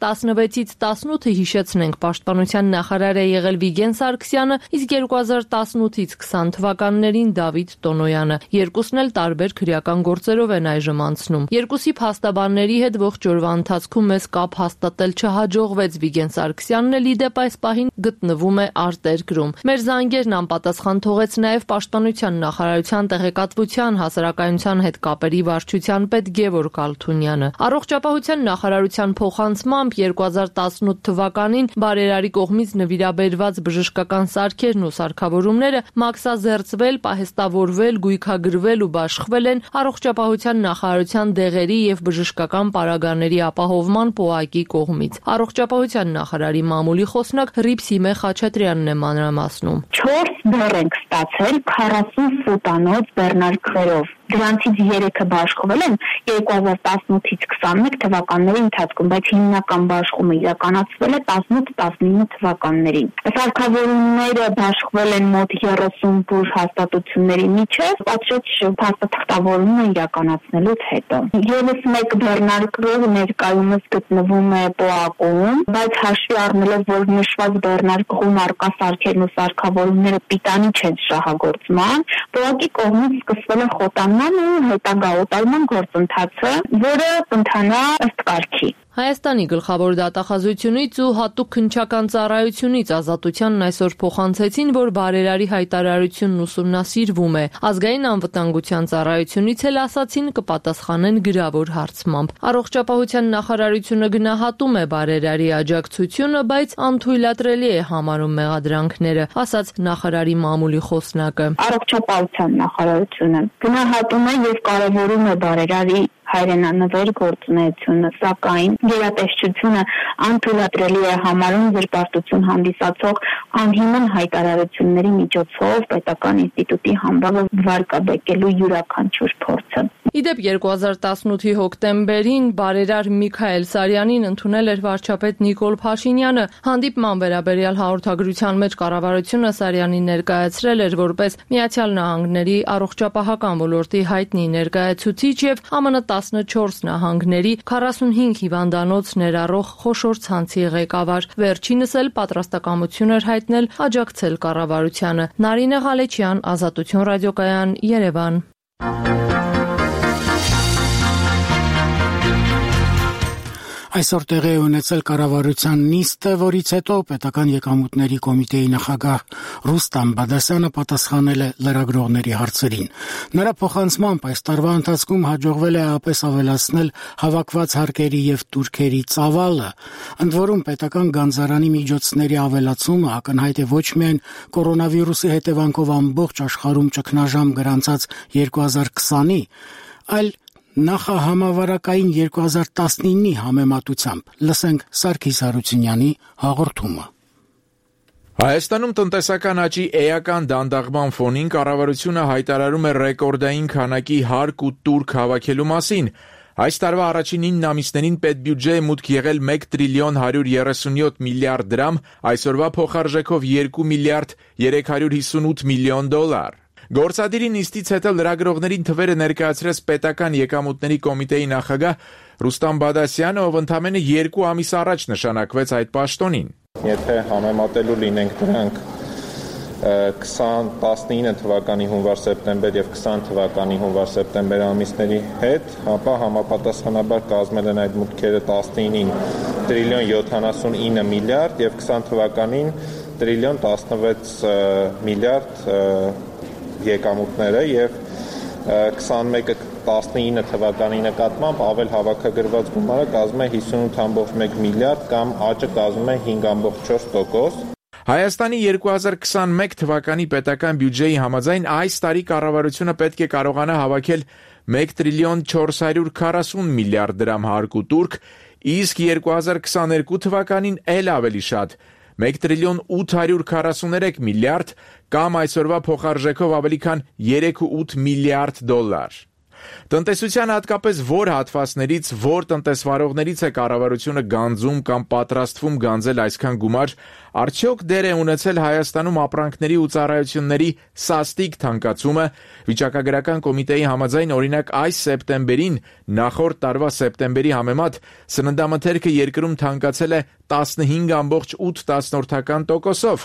2016-ից 18-ը հիշեցնենք պաշտպանության նախարար է եղել Վիգեն Սարգսյանը, իսկ 2018-ից 20 թվականներին Դավիթ Տոնոյանը։ Երկուսն էլ տարբեր քրեական գործերով են այժմ անցնում։ Երկուսի փաստաբանների հետ ողջ օրվա ընթացքում մեզ կապ հաստատել չհաջողվեց։ Վիգեն Սարգսյանն էլ իդեպ այս պահին գտնվում է արտերկրում։ Մեր զանգերն անպատասխան թողեց նաև պաշտպանության նախարարության տեղեկատվության հասարակայնության հետ կապերի վարչության պետ Գևորգ Ալթունյանը։ Առողջապահության նախարարության փոխանցմամբ 2018 թվականին բարերարի կողմից նվիրաբերված բժշկական սարքերն ու սարքավորումները մաքսազերծվել, պահեստավորվել, գույքագրվել ու բաշխվել են Առողջապահության նախարարության դեղերի եւ բժշկական պարագաների ապահովման պոակի կողմից։ Առողջապահության նախարարի մամուլի խոսնակ Ռիփսիմե Խաչատրյանն է մանրամասնում։ 4 բեռ ենք ստացել 40 ֆուտանոց բեռնարկղերով։ Դրանցից 3-ը բաշխվել են 2018-ից 21 թվականների ընթացքում, բայց հիմնական բաշխումը իրականացվել է 18-19 թվականներին։ Սարքավորումները բաշխվել են մոտ 30 բուժ հաստատությունների միջև, պատշաճ փաստաթղթավորումը իրականացնելուց հետո։ Եվս մեկ բեռնարկղ ներկայումս գտնվում է պոակում, բայց հաշվի առնելով, որ նշված բեռնարկղում առկա սարքերն ու սարքավորումները պիտանի չեն շահագործման, պոակի կողմից սկսվել է խոտանման ու հետագա օտարման գործընթացը, որը կընթանա ըստ կարգի։ Հայաստանի գլխավոր դատախազությունից ու հատուկ քննչական ծառայությունից Ազատությանն այսօր փոխանցեցին, որ բարերարի հայտարարությունն ուսումնասիրվում է։ Ազգային անվտանգության ծառայությունից էլ ասացին կպատասխանեն գրավոր հարցմամբ։ Առողջապահության նախարարությունը գնահատում է բարերարի աջակցությունը, բայց անթույլատրելի է համարում մեղադրանքները, ասաց նախարարի մամուլի խոսնակը։ Առողջապահության նախարարությունը գնահատում է եւ կարևորում է բարերարի հայրենանվեր գործունեությունը, սակայն գերատեսչությունը անթույլատրելի է համարում զրպարտություն հանդիսացող անհիմն հայտարարությունների միջոցով պետական ինստիտուտի համբավը վարկաբեկելու յուրաքանչյուր փորձը։ Իդեպ 2018-ի հոկտեմբերին բարերար Միքայել Սարյանին ընդունել էր վարչապետ Նիկոլ Փաշինյանը։ Հանդիպման վերաբերյալ հաղորդագրության մեջ կառավարությունը Սարյանին ներկայացրել էր որպես Միացյալ Նահանգների առողջապահական ոլորտի հայտնի ներկայացուցիչ եւ ԱՄՆ 14 նահանգների 45 հիվանդանոց ներառող խոշոր ցանցի ղեկավար։ Վերջինս էլ պատրաստակամություն էր հայտնել աջակցել կառավարությանը։ Նարինե Ղալեչյան, Ազատություն ռադիոկայան, Երևան։ Այսօր տեղի է ունեցել կառավարության նիստը, որից հետո պետական եկամուտների կոմիտեի նախագահ Ռուստամ Բադասյանը պատասխանել է լրագրողների հարցերին։ Նրա փոխանցմամբ այս տարվա ընթացքում հաջողվել է ապես ավելացնել հավաքված հարկերի եւ տուրքերի ծավալը, ընդ որում պետական գանձարանի միջոցների ավելացումը ակնհայտ է ոչ միայն կորոնավիրուսի հետևանքով ամբողջ աշխարհում ճգնաժամ գրանցած 2020-ի, այլ նախահամավարակային 2019-ի համեմատությամբ։ Լսենք Սարգիս Հարությունյանի հաղորդումը։ Հայաստանում տնտեսական աճի էական դանդաղման ֆոնին կառավարությունը հայտարարում է ռեկորդային քանակի հարկ ու տուրք հավաքելու մասին։ Այս տարվա առաջին 9 ամիսներին պետբյուջեը մուտք եղել 1 տրիլիոն 137 միլիարդ դրամ, այսօրվա փոխարժեքով 2 միլիարդ 358 միլիոն դոլար։ Գործադիրի նիստից հետո լրագրողներին թվերը ներկայացրեց պետական եկամուտների կոմիտեի նախագահ Ռուստամ Բադասյանը, ով ընդամենը 2 ամիս առաջ նշանակվեց այդ պաշտոնին։ Եթե համեմատելու լինենք դրանք 2019 թվականի հունվար-սեպտեմբեր եւ 20 թվականի հունվար-սեպտեմբեր ամիսների հետ, ապա համապատասխանաբար կազմել են այդ մուտքերը 19-ին տրիլիոն 79 միլիարդ եւ 20 թվականին տրիլիոն 16 միլիարդ եկամուտները եւ 21-19 թվականի նկատմամբ ավել հավաքագրված գումարը կազմում է 58.1 միլիարդ կամ աճը կազմում է 5.4%։ Հայաստանի 2021 թվականի պետական բյուջեի համաձայն այս տարի կառավարությունը պետք է կարողանա հավաքել 1 տրիլիոն 440 միլիարդ դրամ հարկ ու տուրք, իսկ 2022 թվականին էլ ավելի շատ 1 տրիլիոն 843 միլիարդ կամ այսօրվա փոխարժեքով ավելի քան 3.8 միլիարդ դոլար։ Տնտեսության հատկապես որ հատվածներից, որ տնտեսվարողներից է կառավարությունը գանձում կամ պատրաստվում գանձել այսքան գումար, արդյոք դեր է ունեցել Հայաստանում ապրանքների ու ծառայությունների սաստիկ թանկացումը։ Վիճակագրական կոմիտեի համաձայն օրինակ այս սեպտեմբերին նախորդ տարվա սեպտեմբերի համեմատ սննդամթերքը երկրում թանկացել է 15.8%-ով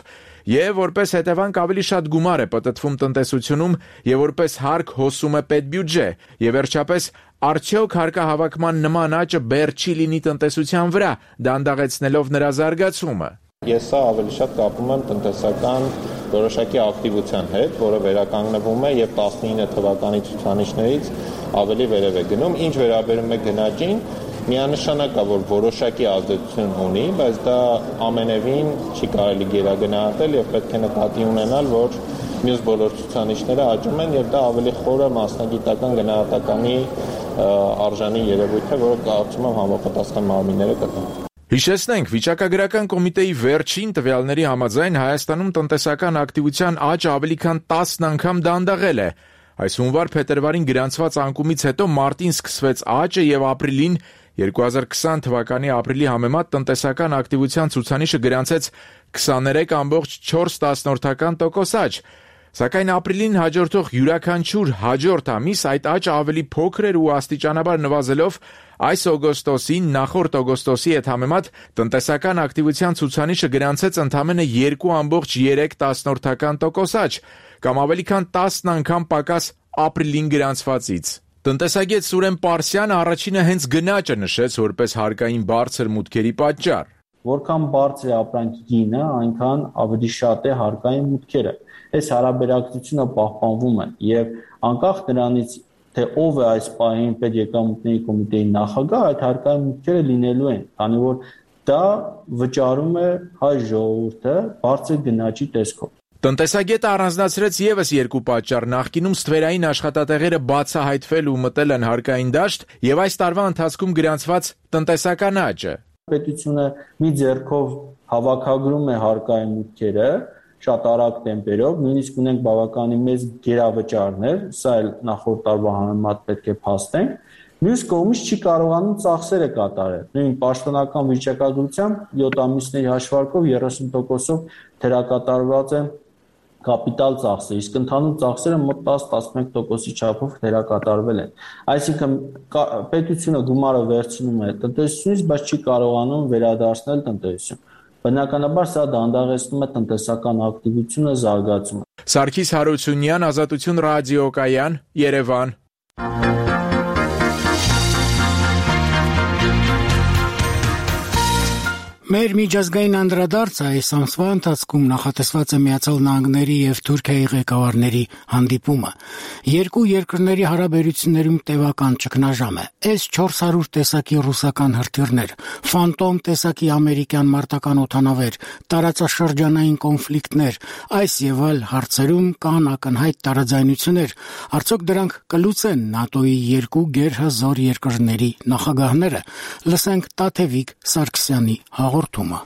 եւ որպես հետևանք ավելի շատ գումար է պտտվում տնտեսությունում եւ որպես հարկ հոսում է պետբյուջե եւ վերջապես արդյոք հարկահավաքման նման աճը բեռ չի լինի տնտեսության վրա դանդաղեցնելով նրա զարգացումը։ Ես սա ավելի շատ կապում եմ տնտեսական որոշակի ակտիվության հետ, որը վերականգնվում է եւ 19 թվականի ցուցանիշներից ավելի վերև է գնում, ինչ վերաբերում է գնաճին, միանշանակ է, որ որոշակի ազդեցություն ունի, բայց դա ամենևին չի կարելի գերագնահատել եւ պետք է նկատի ունենալ, որ մյուս բոլոր ցուցանիշները աճում են եւ դա ավելի խորը մասնագիտական գնահատականի արժանի երևույթ է, որը կարծում եմ համապատասխան մարմինները կտան։ Հիշեցնենք, վիճակագրական կոմիտեի վերջին տվյալների համաձայն Հայաստանում տնտեսական ակտիվության աճը ավելի քան 10 անգամ դանդաղել է։ Այս հունվար-փետրվարին գրանցված անկումից հետո մարտին սկսվեց աճը եւ ապրիլին 2020 թվականի ապրիլի համեմատ տնտեսական ակտիվության ցուցանիշը գրանցեց 23.4% աճ։ Սակայն ապրիլին հաջորդող յուրաքանչյուր հաջորդ ամիս այդ աճը ավելի փոքր էր ու աստիճանաբար նվազելով այս օգոստոսին նախորդ օգոստոսի հետ համեմատ տնտեսական ակտիվության ցուցանիշը գրանցեց ընդամենը 2.3% աճ, կամ ավելի քան 10 անգամ պակաս ապրիլին գրանցվածից։ Տնտեսագետ Սուրեն Պարսյանը առաջինը հենց գնաճը նշեց որպես հարկային բարձր մուտքերի պատճառ։ Որքան բարձր է ապրանքի գինը, այնքան ավելի շատ է հարկային մուտքերը։ Այս հարաբերակցությունը պահպանվում է եւ անկախ նրանից թե ով է այս պահին պետեկամուտների կոմիտեի նախագահ, այդ հարկային մուտքերը լինելու են, քանի որ դա վճարում է հայ ժողովուրդը բարձր գնաճի տեսքով։ Տնտեսագետը առանձնացրեց եւս երկու պատճառ. նախկինում ստվերային աշխատատեղերը բացահայտվել ու մտել են հարկային դաշտ եւ այս տարվա ընթացքում գրանցված տնտեսական աճը։ Պետությունը մի ձեռքով հավաքագրում է հարկային մուտքերը շատ արագ տեմպերով, նույնիսկ ունենք բավականին մեծ գերավճարներ, սա էլ նախորդ տարվա համեմատ պետք է փաստենք, մյուս կողմից չի կարողանում ծախսերը կատարել։ Նույն պաշտոնական վիճակագրությամբ 7 ամիսների հաշվարկով 30%-ով թերակատարված է կապիտալ ծախսը, իսկ ընդհանուր ծախսերը մոտ 10-11%-ի չափով թերակատարվել են։ Այսինքն պետությունը գումարը վերցնում է տնտեսությունից, բայց չի կարողանում վերադարձնել տնտեսություն։ Բնականաբար սա դանդաղեցնում է տնտեսական ակտիվությունը, զարգացումը։ Սարգիս Հարությունյան, Ազատություն ռադիոկայան, Երևան։ Մեր միջազգային անդրադարձը այս ամսվա ընթացքում նախատեսված է Միացյալ Նահանգների եւ Թուրքիայի ղեկավարների հանդիպումը։ Երկու երկրների հարաբերություններում տևական ճգնաժամ է։ S-400 տեսակի ռուսական հրթիռներ, Phantom տեսակի ամերիկյան մարտական օդանավեր, տարածաշրջանային կոնֆլիկտներ, այս եւ այլ հարցերում կան ակնհայտ տարաձայնություններ։ Արդյոք դրանք կլուծեն ՆԱՏՕ-ի երկու գերհզոր երկրների նախագահները։ Լսենք Տաթևիկ Սարգսյանի հաղորդումը։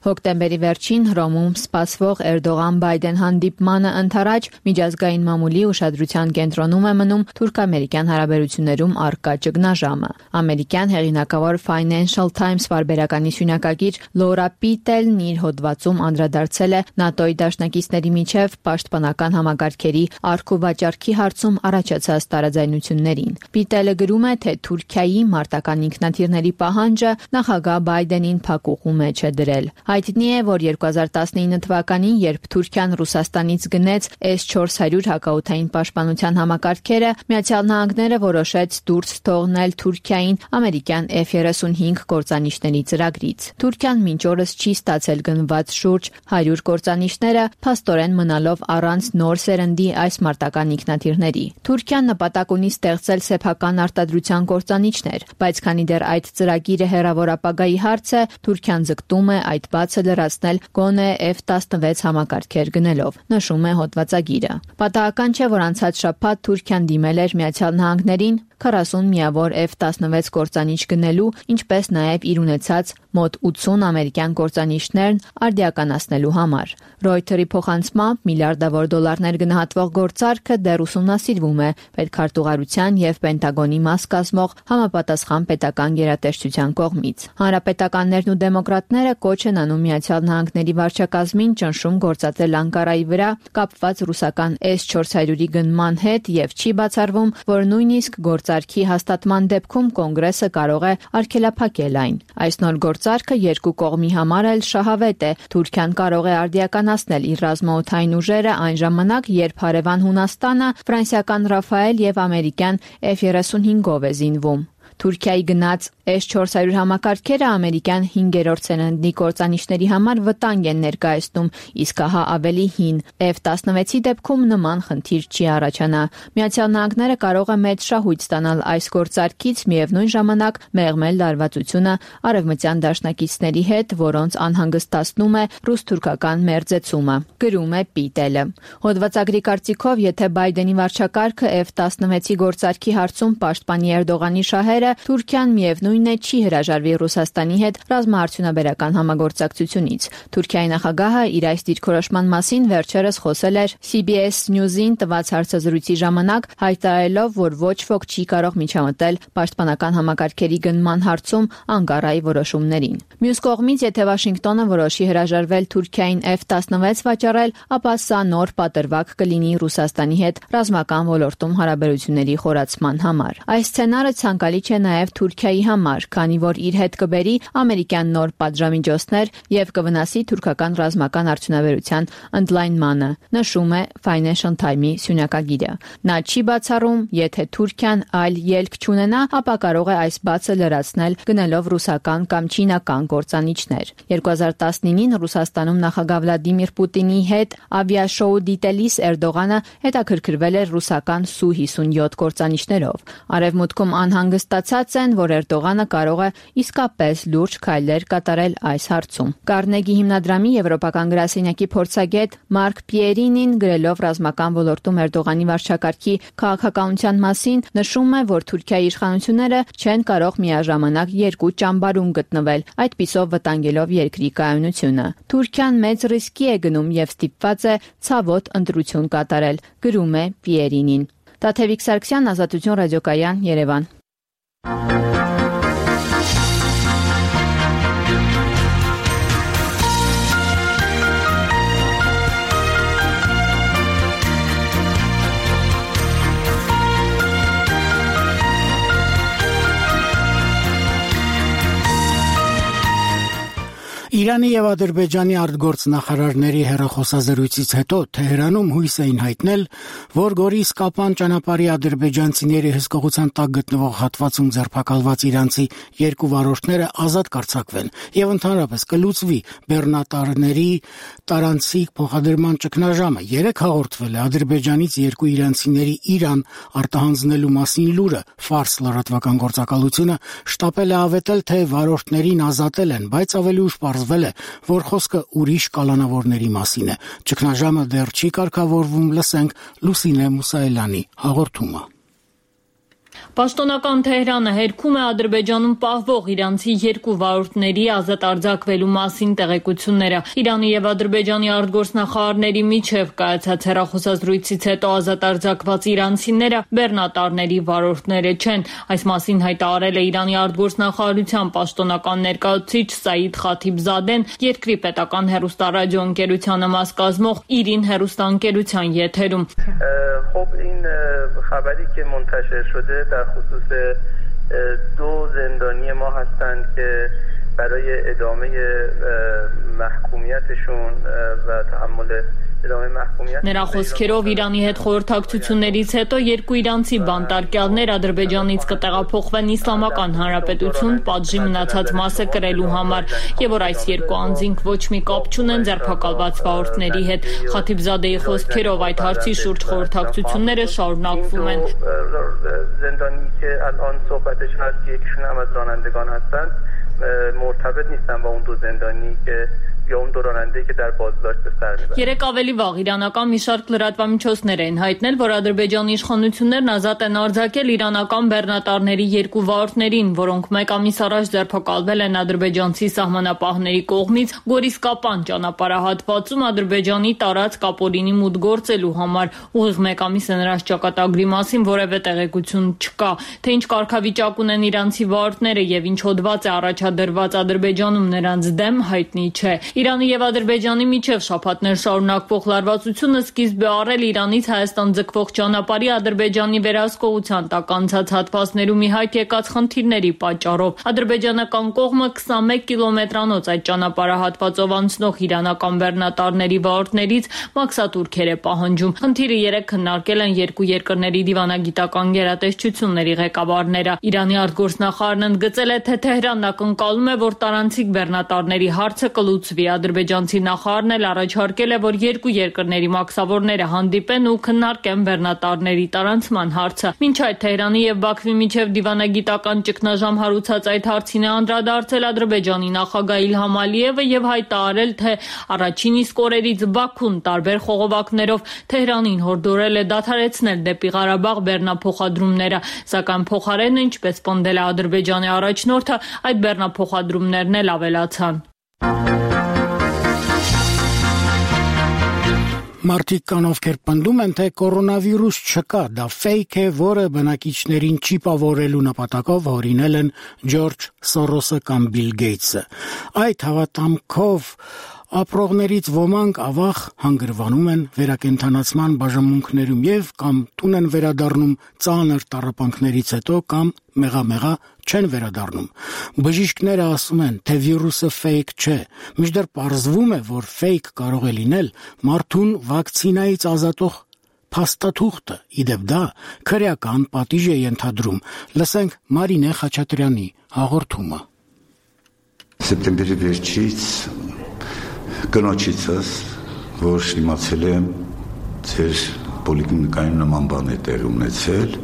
Հոկտեմբերի վերջին Հռոմում սպասվող Էրդողան-Բայդեն հանդիպմանը ընթരാճ միջազգային մամուլի ուշադրության կենտրոնում է մնում թուրք-ամերիկյան հարաբերություններում առկա ճգնաժամը։ Ամերիկյան հեղինակավոր Financial Times վարպետականի սյունակագիր Լորա Պիտելն իր հոդվածում անդրադարձել է ՆԱՏՕ-ի դաշնակիցների միջև պաշտպանական համակարգերի առք ու վաճառքի հարցում առաջացած տարաձայնություններին։ Պիտելը գրում է, թե Թուրքիայի մարտական ինքնաթիռների պահանջը նախագահ Բայդենին փակուղու մեջ է դրել։ Հայտնի է, որ 2019 թվականին, երբ Թուրքիան Ռուսաստանից գնեց S-400 հակաօդային պաշտպանության համակարգերը, Միացյալ Նահանգները որոշեց դուրս թողնել Թուրքիային ամերիկյան F-35 կործանիչների ծրագրից։ Թուրքիան մինչ օրս չի ստացել գնված շուրջ 100 կործանիչները, փաստորեն մնալով առանց նոր սերնդի այս մարտական ինքնաթիռների։ Թուրքիան նպատակ ունի ստեղծել սեփական արտադրության կործանիչներ, բայց քանի դեռ այդ ծրագիրը հեռավոր ապագայի հարց է, Թուրքիան ձգտում է այդ բացը լրացնել գոնե F-16 համակարգեր գնելով, նշում է հոդվածագիրը։ Պատահական չէ, որ անցած շաբաթ Թուրքիան դիմել էր Միացյալ Նահանգներին 40 միավոր F-16 կործանիչ գնելու, ինչպես նաև իր ունեցած մոտ 80 ամերիկյան կործանիչներն արդիականացնելու համար։ Reuters-ի փոխանցմամբ միլիարդավոր դոլարներ գնահատվող գործարքը դեռ ուսումնասիրվում է պետքարտուղարության եւ Պենտագոնի մաս կազմող համապատասխան պետական գերատեսչության կողմից։ Հանրապետականներն ու դեմոկրատները կոչ են անում Միացյալ Նահանգների վարչակազմին ճնշում գործադրել Անկարայի վրա կապված ռուսական S-400-ի գնման հետ եւ չի բացառվում, որ նույնիսկ գործարքի հաստատման դեպքում կոնգրեսը կարող է արգելափակել այն։ Այս նոր գործարքը երկու կողմի համար էլ շահավետ է։ Թուրքիան կարող է արդիականացնել իր ռազմաօդային ուժերը այն ժամանակ, երբ հարևան Հունաստանը ֆրանսիական Ռաֆայել եւ ամերիկյան F-35-ով է զինվում։ Թուրքիայի գնաց S-400 համակարգերը ամերիկյան 5-րդ սերնդի կործանիչների համար վտանգ են ներկայացնում, իսկ հա ավելի հին F-16-ի դեպքում նման խնդիր չի առաջանա։ Միացյալ Նահանգները կարող է մեծ շահույթ ստանալ այս գործարքից, միևնույն ժամանակ մեղմել լարվածությունը արևմտյան դաշնակիցների հետ, որոնց անհանգստացնում է ռուս-թուրքական մերձեցումը, գրում է Պիտելը։ Հոդվածագրի կարծիքով, եթե Բայդենի վարչակարգը F-16-ի գործարքի հարցում պաշտպանի Էրդողանի շահերը, Թուրքիան միևնույն է չի հրաժարվի Ռուսաստանի հետ ռազմաարդյունաբերական համագործակցությունից։ Թուրքիայի նախագահը իր այս դիրքորոշման մասին վերջերս խոսել էր CBS News-ին տված հարցազրույցի ժամանակ, հայտարարելով, որ ոչ ոք չի կարող միջամտել պաշտպանական համակարգերի գնման հարցում Անկարայի որոշումներին։ Մյուս կողմից, եթե Վաշինգտոնը որոշի հրաժարվել Թուրքիային F-16 վաճառել, ապա սա նոր պատրվակ կլինի Ռուսաստանի հետ ռազմական ոլորտում հարաբերությունների խորացման համար։ Այս սցենարը ցանկալի չէ նաև Թուրքիայի համար, քանի որ իր հետ կբերի ամերիկյան նոր պատժամիջոցներ եւ կվնասի թուրքական ռազմական արդյունաբերության ընդլայնմանը, նշում է Financial Times-ի սյունակագիրը։ Նա չի բացառում, եթե Թուրքիան այլ ելք չունենա, ապա կարող է այս բացը լրացնել գնելով ռուսական կամ չինական կործանիչներ։ 2019-ին Ռուսաստանում նախագահ Վլադիմիր Պուտինի հետ ավիաշոու դիտելիս Էրդողանը հետաքրքրվել էր ռուսական Su-57 կործանիչներով։ Արևմուտքում անհանգստացած են, որ Էրդողանը կարող է իսկապես լուրջ քայլեր կատարել այս հարցում։ Կարնեգի հիմնադրամի եվրոպական գրասենյակի փորձագետ Մարկ Պիերինին գրելով ռազմական ոլորտում Էրդողանի վարչակարգի քաղաքականության մասին նշում է, որ Թուրքիայի իշխանությունները չեն կարող միաժամանակ երկու ճամբարում գտնվել, այդպիսով վտանգելով երկրի կայունությունը։ Թուրքիան մեծ ռիսկի է գնում եւ ստիպված է ցավոտ ընտրություն կատարել, գրում է Պիերինին։ Տաթևիկ Սարգսյան, Ազատություն ռադիոկայան, Երևան։ Իրանի եւ Ադրբեջանի արտգործնախարարների հեռախոսազրույցից հետո Թեհրանում հույս էին հայտնել, որ Գորիս-Կապան ճանապարհի ադրբեջանցիների հսկողության տակ գտնվող հատվածում ձերբակալված իրանցի երկու վարորդները ազատ կարձակվեն եւ ընդհանրապես կլուծվի բեռնատարների տարանցիկ փոխադրման ճգնաժամը։ Երեք հաղորդվել է Ադրբեջանից երկու իրանցիների Իրան արտահանձնելու մասին լուրը։ Ֆարս լրատվական գործակալությունը շտապել է ավետել, թե վարորդներին ազատել են, բայց ավելի ուշ պարզվել է, որ խոսքը ուրիշ կալանավորների մասին է։ Ճգնաժամը դեռ չի կարգավորվում, լսենք Լուսինե Մուսայելյանի հաղորդումը։ Պաշտոնական Թեհրանը հերքում է Ադրբեջանում պահվող իրանցի երկու վարորդների ազատ արձակվելու մասին տեղեկությունները։ Իրանի եւ Ադրբեջանի արտգործնախարարների միջև կայացած հեռախոսազրույցից հետո ազատ արձակված իրանցիները բեռնատարների վարորդները չեն։ Այս մասին հայտարարել է Իրանի արտգործնախարարության պաշտոնական ներկայացուցիչ Սաիդ Խաթիբզադեն երկրի պետական հեռուստառադիոընկերությանը մաս կազմող Իրին հեռուստաընկերության եթերում։ خبری که منتشر شده در خصوص دو زندانی ما هستند که برای ادامه محکومیتشون و تحمل Նրա խոսքերով Իրանի հետ խորհրդակցություններից հետո երկու իրանցի բանտարկյալներ Ադրբեջանից կտեղափոխվեն Իսլամական Հանրապետություն պատժի մնացած մասը կրելու համար եւ որ այս երկու անձինք ոչ մի կապ չունեն ձերբակալված վարորդների հետ։ Խաթիբզադեի խոսքերով այդ հարցի շուրջ խորհրդակցությունները շարունակվում են։ زندانی که الان صحبتش هست یکیشون هم از رانندگان هستند مرتبط نیستن با اون دو زندانی که یا اون دو راننده که در بازداشت به سر میبرن. Երեք ավելի վաղ իրանական մի շարք լրատվամիջոցներ են հայտնել, որ Ադրբեջանի իշխանություններն ազատ են արձակել իրանական բեռնատարների երկու վարորդներին, որոնք մեկ ամիս առաջ ձերբակալվել են ադրբեջանցի սահմանապահների կողմից Գորիս-Կապան ճանապարհահատվածում Ադրբեջանի տարածք ապօրինի մուտք գործելու համար։ Ուղիղ մեկ ամիս է նրանց ճակատագրի մասին որևէ տեղեկություն չկա, թե ինչ կարգավիճակ ունեն իրանցի վարորդները եւ ինչ հոդված է առաջադրված Ադրբեջանում նրանց դեմ հայտնի չէ։ Իրանի եւ Ադրբեջանի միջև շաբաթներ շարունակվող լարվածությունը սկիզբ է առել Իրանից Հայաստան ձգվող ճանապարհի Ադրբեջանի վերահսկողության տակ անցած հատվածներում ի հայտ եկած խնդիրների պատճառով։ Ադրբեջանական կողմը 21 կիլոմետրանոց այդ ճանապարհահատվածով անցնող իրանական բեռնատարների վարորդներից մաքսատուրքեր է պահանջում։ Խնդիրը երեք քննարկել են երկու երկրների դիվանագիտական գերատեսչությունների ղեկավարները։ Իրանի արտգործնախարարն ընդգծել է, թե Թեհրանն ակնկալում է, որ տարանցիկ բեռնատարների հարցը կլուծվի։ Ադրբեջանցի նախարարն էլ առաջարկել է, որ երկու երկրների մաքսավորները հանդիպեն ու քննարկեն բեռնատարների տարանցման հարցը։ Մինչ այդ Թեհրանի եւ Բաքվի միջև դիվանագիտական ճգնաժամ հարուցած այդ հարցին է անդրադարձել Ադրբեջանի նախագահ Իլհամ Ալիևը եւ հայտարարել, թե առաջին իսկ օրերից Բաքուն տարբեր խողովակներով Թեհրանին հորդորել է դադարեցնել դեպի Ղարաբաղ բեռնափոխադրումները, սակայն փոխարենը, ինչպես պնդել է Ադրբեջանի առաջնորդը, այդ բեռնափոխադրումներն էլ ավելացան։ Մարդիկ կան, ովքեր պնդում են, թե կորոնավիրուս չկա, դա ֆեյք է, որը բնակիչներին չիպավորելու նպատակով հորինել են Ջորջ Սորոսը կամ Բիլ Գեյթսը։ Այդ հավատամքով ապրողներից ոմանք ավաղ հանգրվանում են վերակենդանացման բաժանմունքներում եւ կամ տուն են վերադառնում ծանր տառապանքներից հետո կամ մեղամեղա չեն վերադառնում։ Բժիշկները ասում են, թե վիրուսը ֆեյք չէ, մինչդեռ պարզվում է, որ ֆեյք կարող է լինել մարդուն վակցինայից ազատող փաստաթուղթը, իդեպ դա քրեական պատիժ է ենթադրում։ Լսենք Մարինե Խաչատրյանի հաղորդումը։ Սեպտեմբերի վերջից կնոջիցս, որ իմացել եմ ձեր պոլիկլինիկայում նման բան է տեղի ունեցել,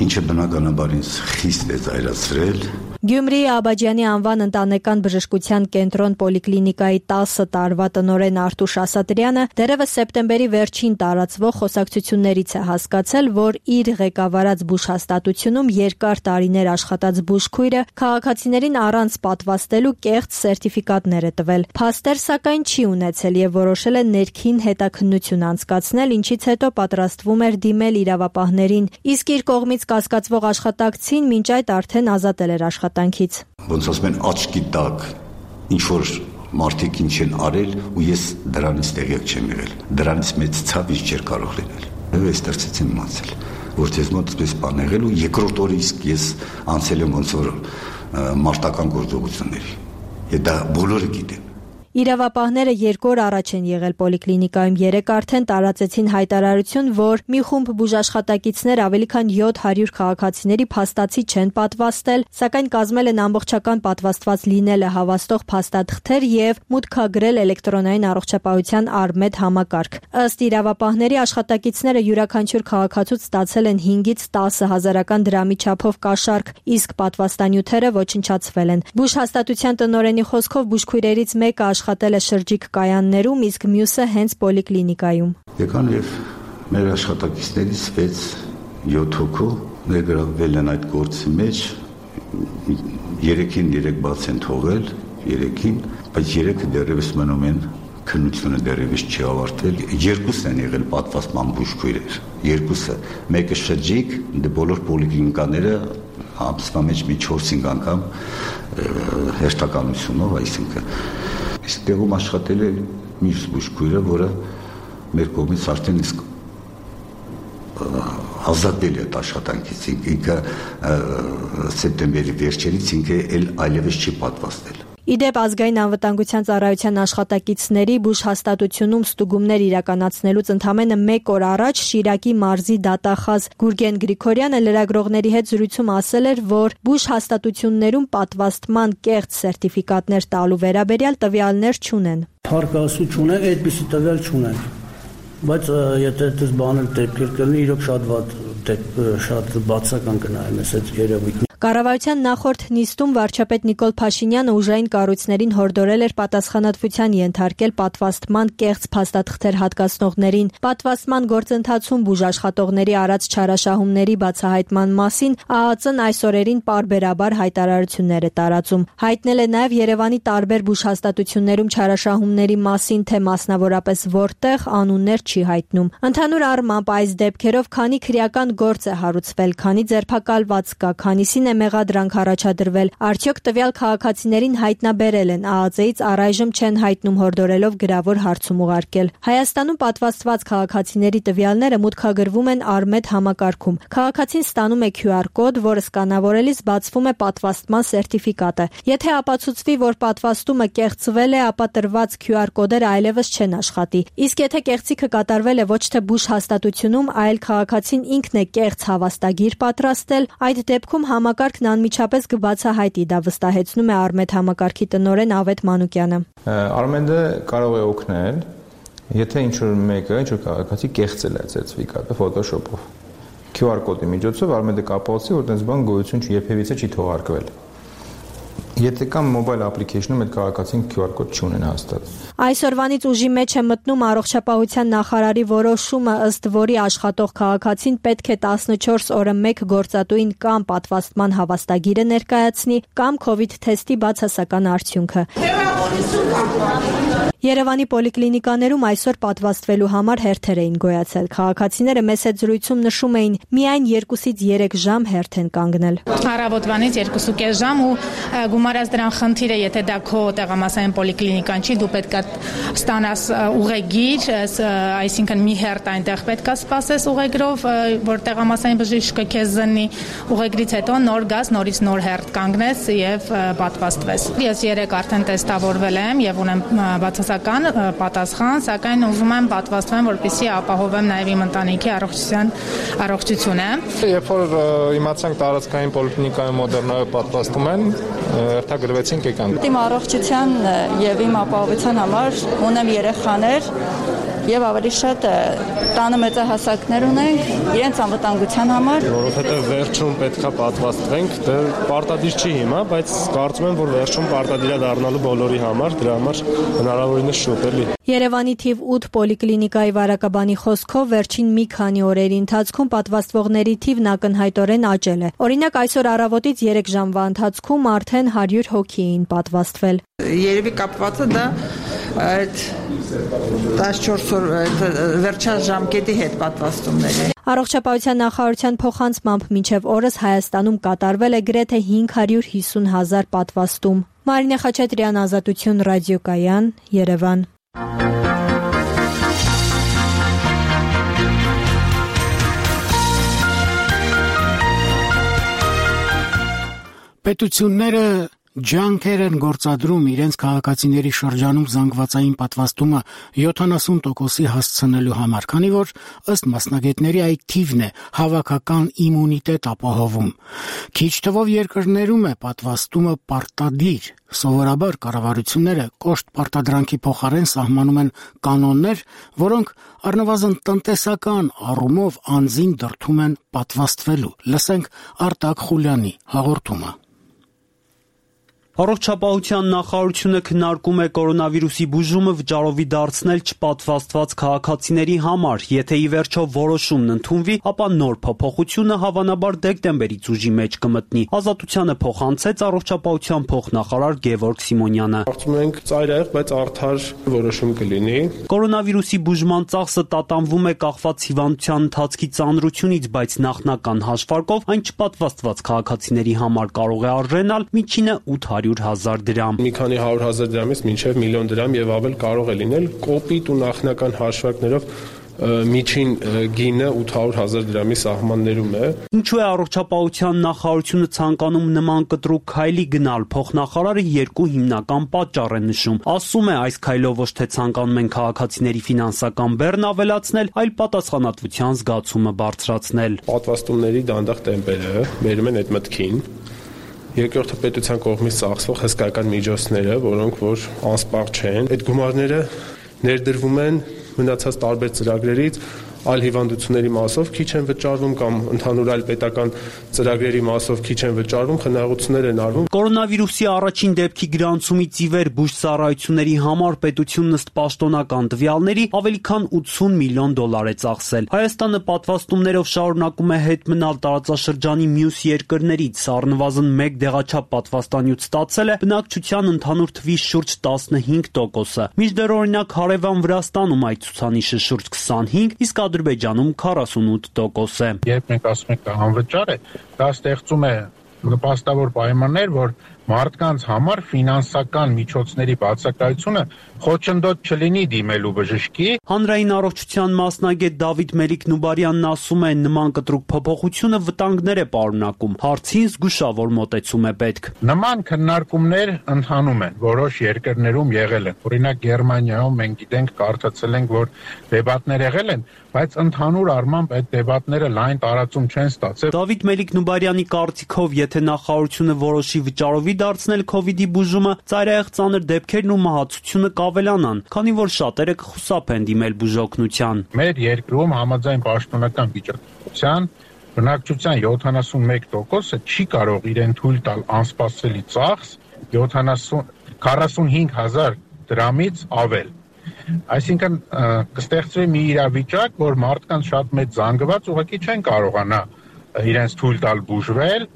ինչը բնականաբար ինձ խիստ է զայրացրել։ Գյումրիի Աբաջյանի անվան ընտանեկան բժշկության կենտրոն պոլիկլինիկայի 10 տարվա տնօրեն Արտուշ Ասատրյանը դեռևս սեպտեմբերի վերջին տարածվող խոսակցություններից է հասկացել, որ իր ղեկավարած բուժհաստատությունում երկար տարիներ աշխատած բուժքույրը քաղաքացիներին առանց պատվաստելու կեղծ սերտիֆիկատներ է տվել։ Փաստեր սակայն չի ունեցել եւ որոշել է ներքին հետաքննություն անցկացնել, ինչից հետո պատրաստվում էր դիմել իրավապահներին, իսկ իր կողմից կասկածվող աշխատակցին մինչ այդ արդեն ազատել էր աշխատանքից։ Ոնց ասում են աչքի տակ ինչ որ մարդիկ ինչ են արել ու ես դրանից տեղյակ չեմ եղել։ Դրանից մեծ ցավ ինչ չէր կարող լինել։ Եվ այստեղից եմ իմացել, որ դες մոտ այսպես բան եղել ու երկրորդ օրը իսկ ես անցել եմ ոնց որ մարտական գործողությունների։ Եվ դա բոլորը գիտեն։ Իրավապահները 2 օր առաջ են եղել պոլիկլինիկայում, 3 արդեն տարածեցին հայտարարություն, որ մի խումբ բուժաշխատակիցներ ավելի քան 700 քաղաքացիների փաստացի չեն պատվաստել, սակայն կազմել են ամբողջական պատվաստված լինելը հավաստող փաստաթղթեր եւ մուտքագրել էլեկտրոնային առողջապահության Արմեդ համակարգ։ Ըստ իրավապահների աշխատակիցները յուրաքանչյուր քաղաքացուց ստացել են 5-ից 10 հազարական դրամի չափով կաշառք, իսկ պատվաստանյութերը ոչնչացվել են։ Բուժհաստատության տնօրենի խոսքով բուժքույրերից մեկը աշխատել է շրջիկ կայաններում, իսկ մյուսը հենց պոլիկլինիկայում։ Եկան եւ մեր աշխատակիցներից 6-7 հոգու ներգրավվել են այդ գործի մեջ, 3-ին 3 բաց են թողել, 3-ին, բայց 3-ը դեռևս մնում են, քննությունը դեռևս չի ավարտվել։ 2 են եղել պատվաստման բուժքույրեր, 2-ը, մեկը շրջիկ, դե բոլոր պոլիկլինիկաները ամսվա մեջ մի 4-5 անգամ հերթականությունով, այսինքն իսկ տեղում աշխատել է մյուս բուժքույրը, որը մեր կողմից արդեն իսկ ազատվել է այդ աշխատանքից, ինքը սեպտեմբերի վերջերից ինքը այլևս չի պատվաստել։ Իդեպ ազգային անվտանգության ծառայության աշխատակիցների բուժ հաստատությունում ստուգումներ իրականացնելուց ընդամենը 1 օր առաջ Շիրակի մարզի դատախազ Գուրգեն Գրիգորյանը լրագրողների հետ զրույցում ասել էր, որ բուժ հաստատություններում պատվաստման կեղծ սերտիֆիկատներ տալու վերաբերյալ տվյալներ չունեն։ Փառք չունեն, այդպիսի տվյալ չունեն։ Բայց եթե դες բանել դեպքեր կլինի, իրոք շատ բացական կնայեմ այս երևույթը։ Կառավարության նախորդ նիստում վարչապետ Նիկոլ Փաշինյանը ուժային կառույցներին հորդորել էր պատասխանատվության ենթարկել պատվաստման կեղծ փաստաթղթեր հատկացնողներին։ Պատվաստման գործընթացում բուժաշխատողների արած չարաշահումների բացահայտման մասին ԱԱԾ-ն այս օրերին պարբերաբար հայտարարություններ է տարածում։ Հայտնել է նաև Երևանի տարբեր բուժհաստատություններում չարաշահումների մասին, թե մասնավորապես որտեղ անուններ չի հայտնում։ Ընդհանուր առմամբ այս դեպքերով քանի քրեական գործ է հարուցվել, քանի ձերբակալված կա, քանիսին է մեղադրանք առաջադրվել, արդյոք տվյալ քաղաքացիներին հայտնաբերել են, ԱԱԾ-ից առայժմ չեն հայտնում հորդորելով գրավոր հարցում ուղարկել։ Հայաստանում պատվաստված քաղաքացիների տվյալները մուտքագրվում են Արմեդ համակարգում։ Քաղաքացին ստանում է QR կոդ, որը սկանավորելիս բացվում է պատվաստման սերտիֆիկատը։ Եթե ապացուցվի, որ պատվաստումը կեղծվել է, ապա տրված QR կոդերը այլևս չեն աշխատի։ Իսկ եթե կեղծիքը կատարվել է ոչ թե բուժ հաստատությունում, այլ քաղաքացին ինքն է կեղծ հավաստագիր պատրաստել, այդ դեպքում համակարգն անմիջապես կբացահայտի, դա վստահեցնում է Արմեդ համակարգի տնօրեն Ավետ Մանուկյանը։ Արմեդը կարող է օգնել, եթե ինչ-որ մեկը, ինչ-որ քաղաքացի կեղծել է սերտիֆիկատը Photoshop-ով։ QR կոդի միջոցով Արմեդը կապացի, որ այդպես բան գոյություն երբևիցե չի թողարկվել։ Եթե կամ մոբայլ application-ում այդ քաղաքացին QR կոդ չունեն հաստատ։ Այսօրվանից ուժի մեջ է մտնում առողջապահության նախարարի որոշումը, ըստ որի աշխատող քաղաքացին պետք է 14 օրը 1 գործատուին կամ պատվաստման հավաստագիրը ներկայացնի, կամ COVID թեստի բացասական արդյունքը։ Երևանի պոլիկլինիկաներում այսօր պատվաստվելու համար հերթեր էին գոյացել։ Քաղաքացիները մեծ հետ զրույցում նշում էին, միայն 2-ից 3 ժամ հերթ են կանգնել։ Առավոտվանից 2.5 ժամ ու գումարած դրան խնդիրը, եթե դա քո տեղամասային պոլիկլինիկան չի, դու պետք է ստանաս ուղեգիր, այսինքն մի հերթ այնտեղ պետք է սպասես ուղեգրով, որ տեղամասային բժիշկը քեզ զննի, ուղեգրից հետո նոր գաս, նորից նոր հերթ կանգնես եւ պատվաստվես։ Ես 3 արդեն տեստավորվել եմ եւ ունեմ բացասական պատասխան, սակայն ուզում եմ պատվաստվեմ, որպեսզի ապահովեմ նաեւ իմ ընտանիքի առողջությունը։ Երբ որ իմացանք տարածքային պոլիկլինիկայում Մոդեռնայով պատվաստում են, հերթագրվեցինք եկանք։ Իմ առողջության եւ իմ ապահովության համար ունեմ երեխաներ եւ ավելի շատ տանը մեծահասակներ ունենք իրենց անվտանգության համար, որովհետեւ վերջում պետքա պատվաստվենք, դե պարտադիր չի հիմա, բայց կարծում եմ, որ վերջում պարտադիր է դառնալու բոլորի համար, դրա համար հնարավորինս շուտ էլի։ Երևանի թիվ 8 պոլիկլինիկայի վարակաբանի խոսքով վերջին մի քանի օրերի ընթացքում պատվաստվողների թիվն ակնհայտորեն աճել է։ Օրինակ այսօր առավոտից 3 ժամվա ընթացքում արդեն 100 հոգի էին պատվաստվել։ Երևի կապվածը դա այդ 14 օր վերջին ժամկետի հետ պատվաստումների։ Առողջապահության նախարարության փոխանցմամբ մինչև օրս Հայաստանում կատարվել է գրեթե 550,000 պատվաստում։ Մարինե Խաչատրյան, Ազատություն ռադիոկայան, Երևան։ Պետությունները ջանքեր են գործադրում իրենց քաղաքացիների շրջանում զանգվածային պատվաստումը 70%-ի հասցնելու համար, քանի որ ըստ մասնագետների այդ թիվն է հավաքական իմունիտետ ապահովում։ Քիչ թվով երկրներում է պատվաստումը պարտադիր։ Սովորաբար կառավարությունները կոշտ պարտադրանքի փոխարեն սահմանում են կանոններ, որոնք առնվազն տնտեսական առումով անձին դրդում են պատվաստվելու։ Լսենք Արտակ Խուլյանի հաղորդումը։ Առողջապահության նախարարությունը քննարկում է կորոնավիրուսի բուժումը վճարովի դարձնել չպատվաստված քաղաքացիների համար։ Եթե ի վերջո որոշումն ընդունվի, ապա նոր փոփոխությունը հավանաբար դեկտեմբերից ուժի մեջ կմտնի։ Ազատությանը փոխանցեց առողջապահության փոխնախարար Գևորգ Սիմոնյանը։ Կարծում ենք ծայրահեղ, բայց արդար որոշում կլինի։ Կորոնավիրուսի բուժման ծախսը տատանվում է կախված հիվանդության ընթացքի ծանրությունից, բայց նախնական հաշվարկով այն չպատվաստված քաղաքացիների համար կարող է արժենալ միջինը 800,000 դրամ։ Մի քանի 100,000 դրամից մինչև 1 միլիոն դրամ եւ ավել կարող է լինել կոպիտ ու նախնական հաշվարկներով միջին գինը 800,000 դրամի սահմաններում է։ Ինչու է առողջապահության նախարարությունը ցանկանում նման կտրուկ քայլի գնալ, փոխնախարարը երկու հիմնական պատճառ է նշում։ Ասում է, այս քայլով ոչ թե ցանկանում են քաղաքացիների ֆինանսական բեռն ավելացնել, այլ պատասխանատվության զգացումը բարձրացնել։ Պատվաստումների դանդաղ տեմպերը բերում են այդ մտքին։ Երկրորդը պետության կողմից ծախսվող հսկայական միջոցները, որոնք որ անսպառ չեն, այդ գումարները ներդրվում են մնացած տարբեր ծրագրերից, այլ հիվանդությունների մասով քիչ են վճարվում կամ ընդհանուր այլ պետական ծրագրերի մասով քիչ են վճարվում, խնայողություններ են արվում։ Կորոնավիրուսի առաջին դեպքի գրանցումից ի վեր բուժծառայությունների համար պետությունն ըստ պաշտոնական տվյալների ավելի քան $80 միլիոն է ծախսել։ Հայաստանը պատվաստումներով շարունակում է հետ մնալ տարածաշրջանի մյուս երկրներից, առնվազն 1 դեղաչափ պատվաստանյութ ստացել է բնակչության ընդհանուր թվի շուրջ 15%-ը։ Մինչդեռ օրինակ հարևան Վրաստանում այդ ցուցանիշը շուրջ 25, իսկ Ադրբեջանում 48% է։ Երբ մենք ասում ենք անվճար է, դա ստեղծում է նպաստավոր պայմաններ, որ մարդկանց համար ֆինանսական միջոցների բացակայությունը խոչընդոտ չլինի դիմելու բժշկի։ Հանրային առողջության մասնագետ Դավիթ Մելիք-Նուբարյանն ասում է, նման կտրուկ փոփոխությունը վտանգներ է պարունակում, հարցին զգուշավոր մոտեցում է պետք։ Նման քննարկումներ ընթանում են, որոշ երկրներում եղել են։ Օրինակ Գերմանիայում մենք գիտենք, կարդացել ենք, որ դեբատներ եղել են, բայց ընդհանուր առմամբ այդ դեբատները լայն տարածում չեն ստացել։ Դավիթ Մելիք-Նուբարյանի կարծիքով, եթե նախարարությունը որոշի վճարովի դարձնել COVID-ի բուժումը, ծայրահեղ ծանր դեպքերն ու մահացությունը կավելանան, քանի որ շատերը կխուսափեն դիմել բուժօգնության։ Մեր երկրում համաձայն պաշտոնական վիճակագրության բնակչության 71%-ը չի կարող իրեն թույլ տալ անսպասելի ծախս 45,000 դրամից ավել։ Այսինքն կստեղծվի մի իրավիճակ, որ մարդկանց շատ մեծ զանգված ուղղակի չեն կարողանա իրենց թույլ տալ բուժվել,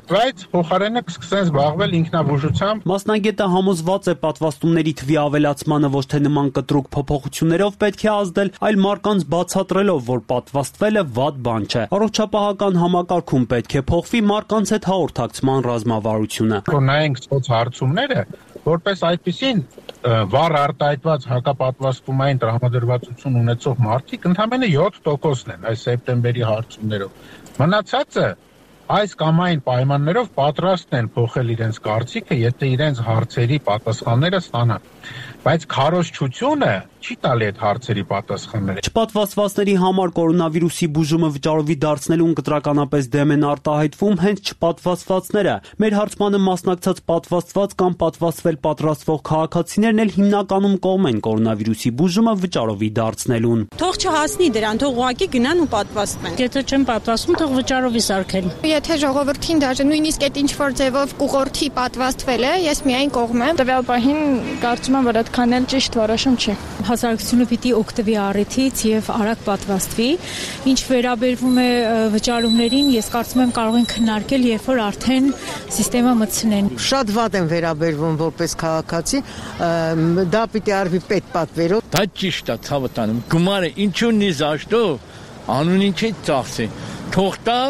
բայց փոխարենը կսկսեն զբաղվել ինքնաբուժությամբ։ Մասնագետը համոզված է, պատվաստումների թվի ավելացմանը ոչ թե նման կտրուկ փոփոխություններով պետք է ազդել, այլ մարդկանց բացատրելով, որ պատվաստվելը վատ բան չէ։ Առողջապահական համակարգում պետք է փոխվի մարդկանց հետ հաղորդակցման ռազմավարությունը։ Նայենք սոցհարցումները, որպես այդպիսին վառ արտահայտված հակապատվաստումային տրամադրվածություն ունեցող մարդիկ ընդամենը 7%-ն են այս սեպտեմբերի հարցումներով։ Մնացածը այս կամ այն պայմաններով պատրաստ են փոխել իրենց կարծիքը, եթե իրենց հարցերի պատասխանները ստանան։ Բայց քարոզչությունը չի տալի այդ հարցերի պատասխանները։ Չպատվաստվածների համար կորոնավիրուսի բուժումը վճարովի դարձնելուն կտրականապես դեմ են արտահայտվում հենց չպատվաստվածները։ Մեր հարցմանը մասնակցած պատվաստված կամ պատվաստվել պատրաստվող քաղաքացիներն էլ հիմնականում կողմ են կորոնավիրուսի բուժումը վճարովի դարձնելուն։ Թող չհասնի դրան, թող ուղղակի գնան ու պատվաստվեն։ Եթե չեն պատվաստվում, թող վճարովի սարքեն։ Եթե ժողովրդին դաժե նույնիսկ այդ ինչ որ ձևով կուղորդի պատվաստվել է, ես միայն կողմ եմ։ Տվյալ պահին կարծում եմ, որ այդքան էլ ճիշտ որոշում չի։ Հասարակությունը պիտի օգտվի առիթից եւ արագ պատվաստվի։ Ինչ վերաբերվում է վճարումներին, ես կարծում եմ կարող են քննարկել, երբ որ արդեն համակարգը մտցնեն։ Շատ վատ են վերաբերվում որպես քաղաքացի, դա պիտի արվի պետպատվերով։ Դա ճիշտ է, ցավը տանում։ Գումարը ինչու՞ն է զաշտո, անունին չի ծախսի։ Թող տա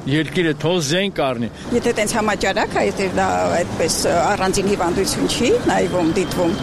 երկիրը թող զենք առնի։ Եթե տենց համաճարակ է, եթե դա այդպես առանձին հիվանդություն չի, նայվում, դիտվում,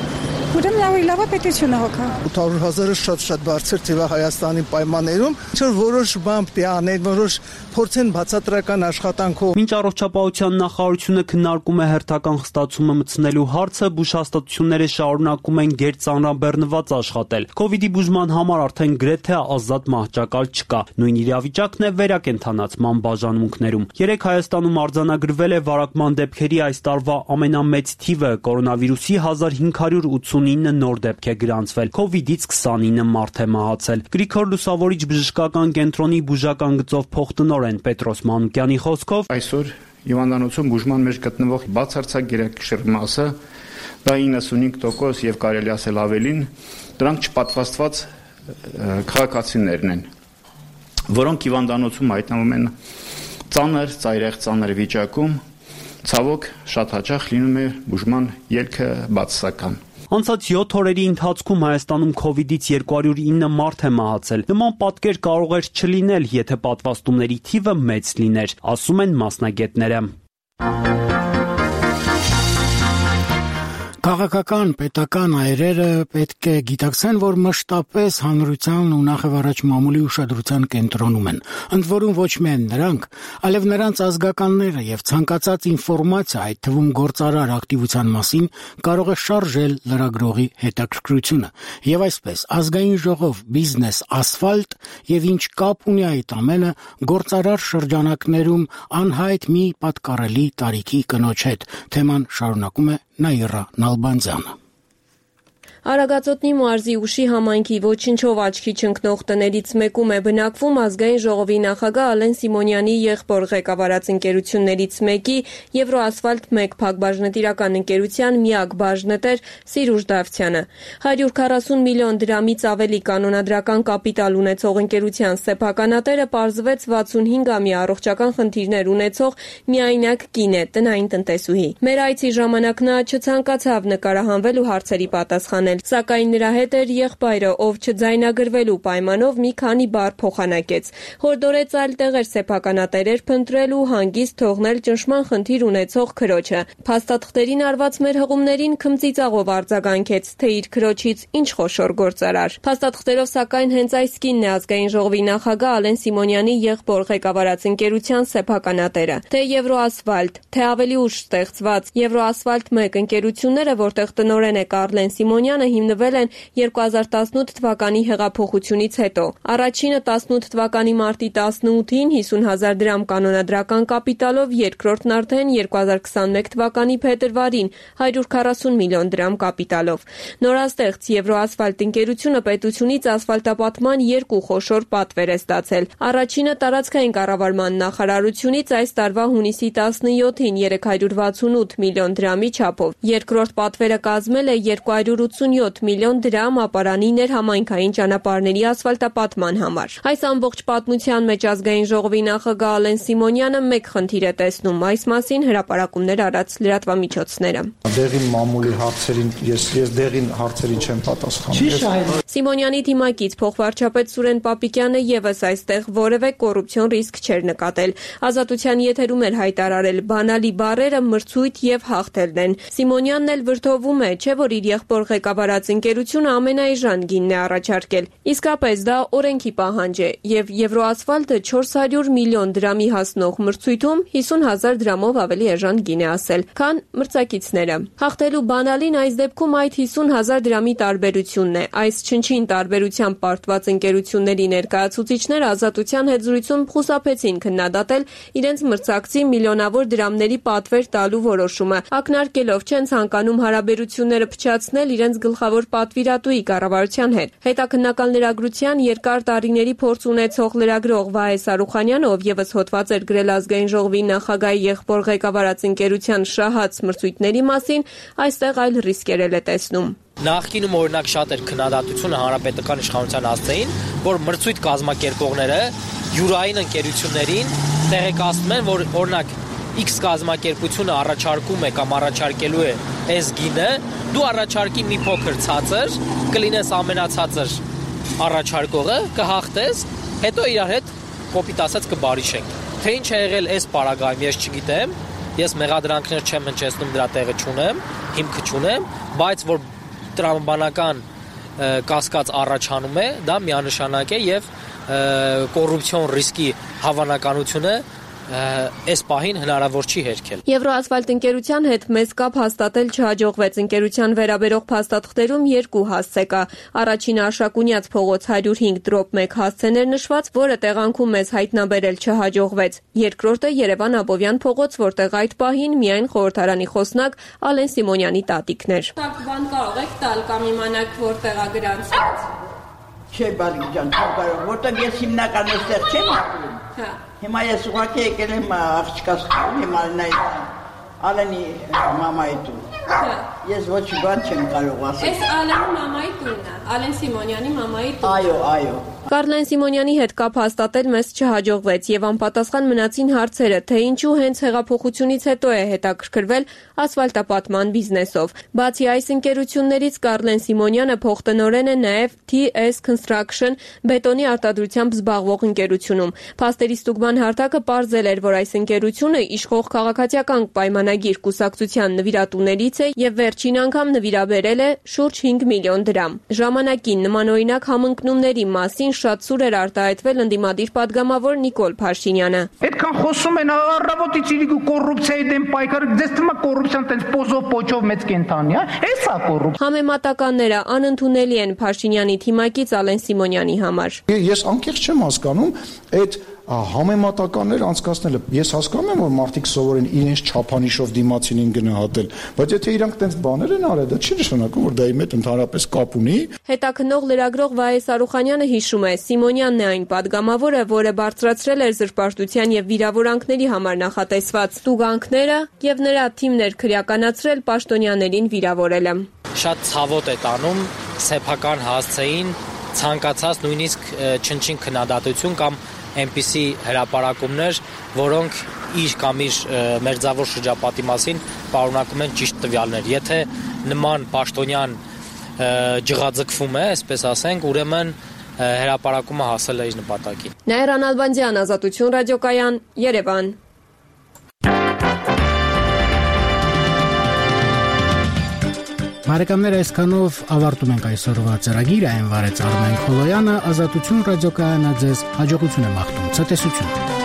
ուրեմն լավ է պետությունը հոգա։ 800,000-ը շատ բարձր թիվ է Հայաստանի պայմաններում, ինչ որ որոշ բան պիտի անեն, որոշ փորձեն բացատրական աշխատանքով։ Մինչ առողջապահության նախարարությունը քննարկում է հերթական խստացումը մտցնելու հարցը, բուժհաստատությունները շարունակում են գերծանրաբեռնված աշխատել։ COVID-ի բուժման համար արդեն գրեթե ազատ մահճակալ չկա։ Նույն իրավիճակն է վերակենդանացման բաժանմունքներում։ Երեք Հայաստանում արձանագրվել է վարակման դեպքերի այս տարվա ամենամեծ թիվը, կորոնավիրուսի 1589 նոր դեպք է գրանցվել, COVID-ից 29 մարդ է մահացել։ Գրիգոր Լուսավորիչ բժշկական կենտրոնի բուժական գծով փոխտնօրեն Պետրոս Մանուկյանի խոսքով այսօր հիվանդանոցում բուժման մեջ գտնվող բացարձակ գերակշռ մասը, դա 95% եւ կարելի ասել ավելին, դրանք չպատվաստված քաղաքացիներն են, որոնք հիվանդանոցում հայտնվում են ծայրահեղ վիճակում, ցավոք շատ հաճախ լինում է բուժման ելքը բացասական։ Անցած 7 օրերի ընթացքում Հայաստանում COVID-ից 209 մարդ է մահացել։ Նման պատկեր կարող էր չլինել, եթե պատվաստումների թիվը մեծ լիներ, ասում են մասնագետները։ Քաղաքական, պետական այրերը պետք է գիտակցեն, որ մշտապես հանրության ու նախավարաճ մամուլի ուշադրության կենտրոնում են։ Ընդ որում ոչ միայն նրանք, այլև նրանց ազգականները եւ ցանկացած ինֆորմացիա, այդ թվում գործարար ակտիվության մասին, կարող է շարժել լրագրողի հետաքրքրությունը։ Եվ այսպես, ազգային ժողով, բիզնես, ասֆալտ եւ ինչ կապ ունի այդ ամենը գործարար շրջանակներում անհայտ մի պատկառելի տարիքի կնոջ հետ։ Թեման շարունակում է Նաիրա Նալբանդյանը։ Արագածոտնի մարզի Ուշի համայնքի ոչնչով աչքի չընկնող տներից մեկում է բնակվում ազգային ժողովի նախագահ Ալեն Սիմոնյանի եղբոր ղեկավարած ընկերություններից մեկի Եվրոասֆալտ 1 փակբաժնետիրական ընկերության միակ բաժնետեր Սիրուժ Դավթյանը։ 140 միլիոն դրամից ավելի կանոնադրական կապիտալ ունեցող ընկերության սեփականատերը պարզվեց 65-ամյա առողջական խնդիրներ ունեցող միայնակ կին է, տնային տնտեսուհի։ Մեր այցի ժամանակ նա չցանկացավ նկարահանվել ու հարցերի պատասխանել, սակայն նրա հետ էր եղբայրը, ով չձայնագրվելու պայմանով մի քանի բառ փոխանակեց։ Հորդորեց այլ տեղեր սեփականատերեր փնտրել ու հանգիստ թողնել ճնշման խնդիր ունեցող քրոջը։ Փաստաթղթերին արված մեր հղումներին քմծիծաղով արձագանքեց, թե իր քրոջից ինչ խոշոր գործարար։ Փաստաթղթերով սակայն հենց այս կինն է ազգային ժողովի նախագահ Ալեն Սիմոնյանի եղբոր ղեկավարած ընկերության սեփականատերը։ Թե Եվրոասֆալտ, թե ավելի ուշ ստեղծված Եվրոասֆալտ 1 ընկերությունները, որտեղ տնօրեն է Կարլեն Սիմոնյանը, հիմնվել են 2018 թվականի հեղափոխությունից հետո։ Առաջինը 18 թվականի մարտի 18-ին 50,000 դրամ կանոնադրական կապիտալով, երկրորդն արդեն 2021 թվականի փետրվարին 140 միլիոն դրամ կապիտալով։ Նորաստեղծ Եվրոասֆալտ ընկերությունը պետությունից ասֆալտապատման 2 խոշոր պատվեր է ստացել։ Առաջինը տարածքային կառավարման նախարարությունից այս տարվա հունիսի 17-ին 368 միլիոն դրամի չափով։ Երկրորդ պատվերը կազմել է 287 միլիոն դրամ ապարանի ներհամայնքային ճանապարհների ասֆալտապատման համար։ Այս ամբողջ պատմության մեջ ազգային ժողովի նախագահ Ալեն Սիմոնյանը մեկ խնդիր է տեսնում, այս մասին հրապարակումներ արած լրատվամիջոցները։ Դեղին մամուլի հարցերին ես դեղին հարցերին չեմ պատասխանում։ Սիմոնյանի թիմակից փոխվարչապետ Սուրեն Պապիկյանը եւս այստեղ որևէ կոռուպցիոն ռիսկ չէր նկատել։ Ազատության եթերում էր հայտարարել բանալի բառերը մրցույթ եւ հաղթելն են։ Սիմոնյանն էլ վրդովում է, չէ՞ որ իր եղբոր ղեկավարած ընկերությունը ամենաէժան գինն է առաջարկել։ Իսկապես դա օրենքի պահանջ է եւ Եվրոասֆալտը 400 միլիոն դրամի հասնող մրցույթում 50,000 դրամով ավելի էժան գին է ասել, քան մրցակիցները։ Հաղթելու բանալին այս դեպքում այդ 50,000 դրամի տարբերությունն է։ Այս չնչին տարբերությամբ պարտված ընկերությունների ներկայացուցիչները Ազատության հետ զրույցում խուսափեցին քննադատել իրենց մրցակցի միլիոնավոր դրամների պատվեր տալու որոշումը, ակնարկելով չեն ցանկանում հարաբերությունները փչացնել իրենց գլխավոր պատվիրատուի կառավարության հետ։ Հետաքննական լրագրության երկար տարիների փորձ ունեցող լրագրող Վահե Սարուխանյանը, ով եւս հոդված էր գրել ազգային ժողովի նախագահի եղբոր ղեկավարած ընկերության շահած մրցույթների մասին, այստեղ այլ ռիսկեր է տեսնում։ Նախկինում օրինակ շատ էր քննադատությունը հանրապետական իշխանության հասցեին, որ մրցույթ կազմակերպողները յուրային ընկերություններին տեղեկացնում են, որ օրինակ X կազմակերպությունը առաջարկում է կամ առաջարկելու է այս գինը, դու առաջարկի մի փոքր ցածր, կլինես ամենացածր առաջարկողը, կհաղթես, հետո իրար հետ կոպիտ ասած կբարիշենք։ Թե ինչ է եղել այս պարագայում, ես չգիտեմ, ես մեղադրանքներ չեմ հնչեցնում, դրա տեղը չունեմ, հիմքը չունեմ, բայց որ տրամաբանական կասկած առաջանում է, դա միանշանակ է եւ կոռուպցիոն ռիսկի հավանականությունը այս պահին հնարավոր չի հերքել։ Եվրոասֆալտ ընկերության հետ մեծ կապ հաստատել չհաջողվեց։ Ընկերության վերաբերող փաստաթղթերում 2 հասցե կա։ Առաջինը Աշակունյաց փողոց 105/1 հասցեն էր նշված, որը տեղանքում մեզ հայտնաբերել չհաջողվեց։ Երկրորդը Երևան Աբովյան փողոց, որտեղ այդ պահին միայն խորհրդարանի խոսնակ Ալեն Սիմոնյանի տատիկն էր։ Բան կարող եք տալ կամ իմանալ որտեղ է գրանցված։ Չէ, բալիկ ջան, կարող, որտեղ ես հիմնական այստեղ չեմ ապրում։ Հա։ Հիմա ես ուղղակի եկել եմ աղջկաս հիմա նայ Ալենի մամայի տուն։ Հա։ Ես ոչ բան չեմ կարող ասել։ Այս Ալենի մամայի տունն է, Ալեն Սիմոնյանի մամայի տունը։ Այո, այո։ Կարլեն Սիմոնյանի հետ կապ հաստատել մեզ չհաջողվեց եւ անպատասխան մնացին հարցերը, թե ինչու հենց հեղափոխությունից հետո է հետաքրքրվել ասֆալտապատման բիզնեսով։ Բացի այս ընկերություններից Կարլեն Սիմոնյանը փոխտնօրեն է նաեւ TS Construction բետոնի արտադրությամբ զբաղվող ընկերությունում։ Փաստերի ստուգման հարթակը պարզել էր, որ այս ընկերությունը իշխող քաղաքացիական պայմանագիր կուսակցության նվիրատուներից է եւ վերջին անգամ նվիրաբերել է շուրջ 5 միլիոն դրամ։ Ժամանակին նմանօրինակ համընկնումների մասին շատ սուր էր արտահայտվել ընդդիմադիր падգամավոր Նիկոլ Փաշինյանը։ Այդքան խոսում են առավոտից իրիկու կոռուպցիայի դեմ պայքարը, դες թվում է կոռուպցիան տենց պոզով պոչով մեծ կենթանի, էսա կոռուպցիա։ Համեմատականները անընդունելի են Փաշինյանի թիմակից Ալեն Սիմոնյանի համար։ Ես անկեղծ չեմ հասկանում այդ համեմատականներ անցկացնելը։ Ես հասկանում եմ, որ մարդիկ սովորեն իրենց չափանիշով դիմացինին գնահատել, բայց եթե իրանք տենց բաներ են արել, դա չի նշանակում, որ դա իմ հետ ընդհանրապես կապ ունի։ Հետաքննող լրագրող Վահե Սարուխանյանը հիշում է, Սիմոնյանն է այն падգամավորը, որը բարձրացրել էր զրպարտության եւ վիրավորանքների համար նախատեսված տուգանքները եւ նրա թիմն էր քրեականացրել պաշտոնյաներին վիրավորելը։ Շատ ցավոտ է տանում սեփական հասցեին ցանկացած նույնիսկ չնչին քննադատություն կամ այնպիսի հրապարակումներ, որոնք իր կամ իր մերձավոր շրջապատի մասին պարունակում են ճիշտ տվյալներ։ Եթե նման պաշտոնյան ջղաձգվում է, այսպես ասենք, ուրեմն հրապարակումը հասել է իր նպատակին։ Նաիրան Ալբանդյան, Ազատություն ռադիոկայան, Երևան։ Բարեկամներ, այսքանով ավարտում ենք այսօրվա ծրագիրը, այն վարեց Արմեն Քոլոյանը, Ազատություն ռադիոկայանը ձեզ հաջողություն է մաղթում, ցտեսություն։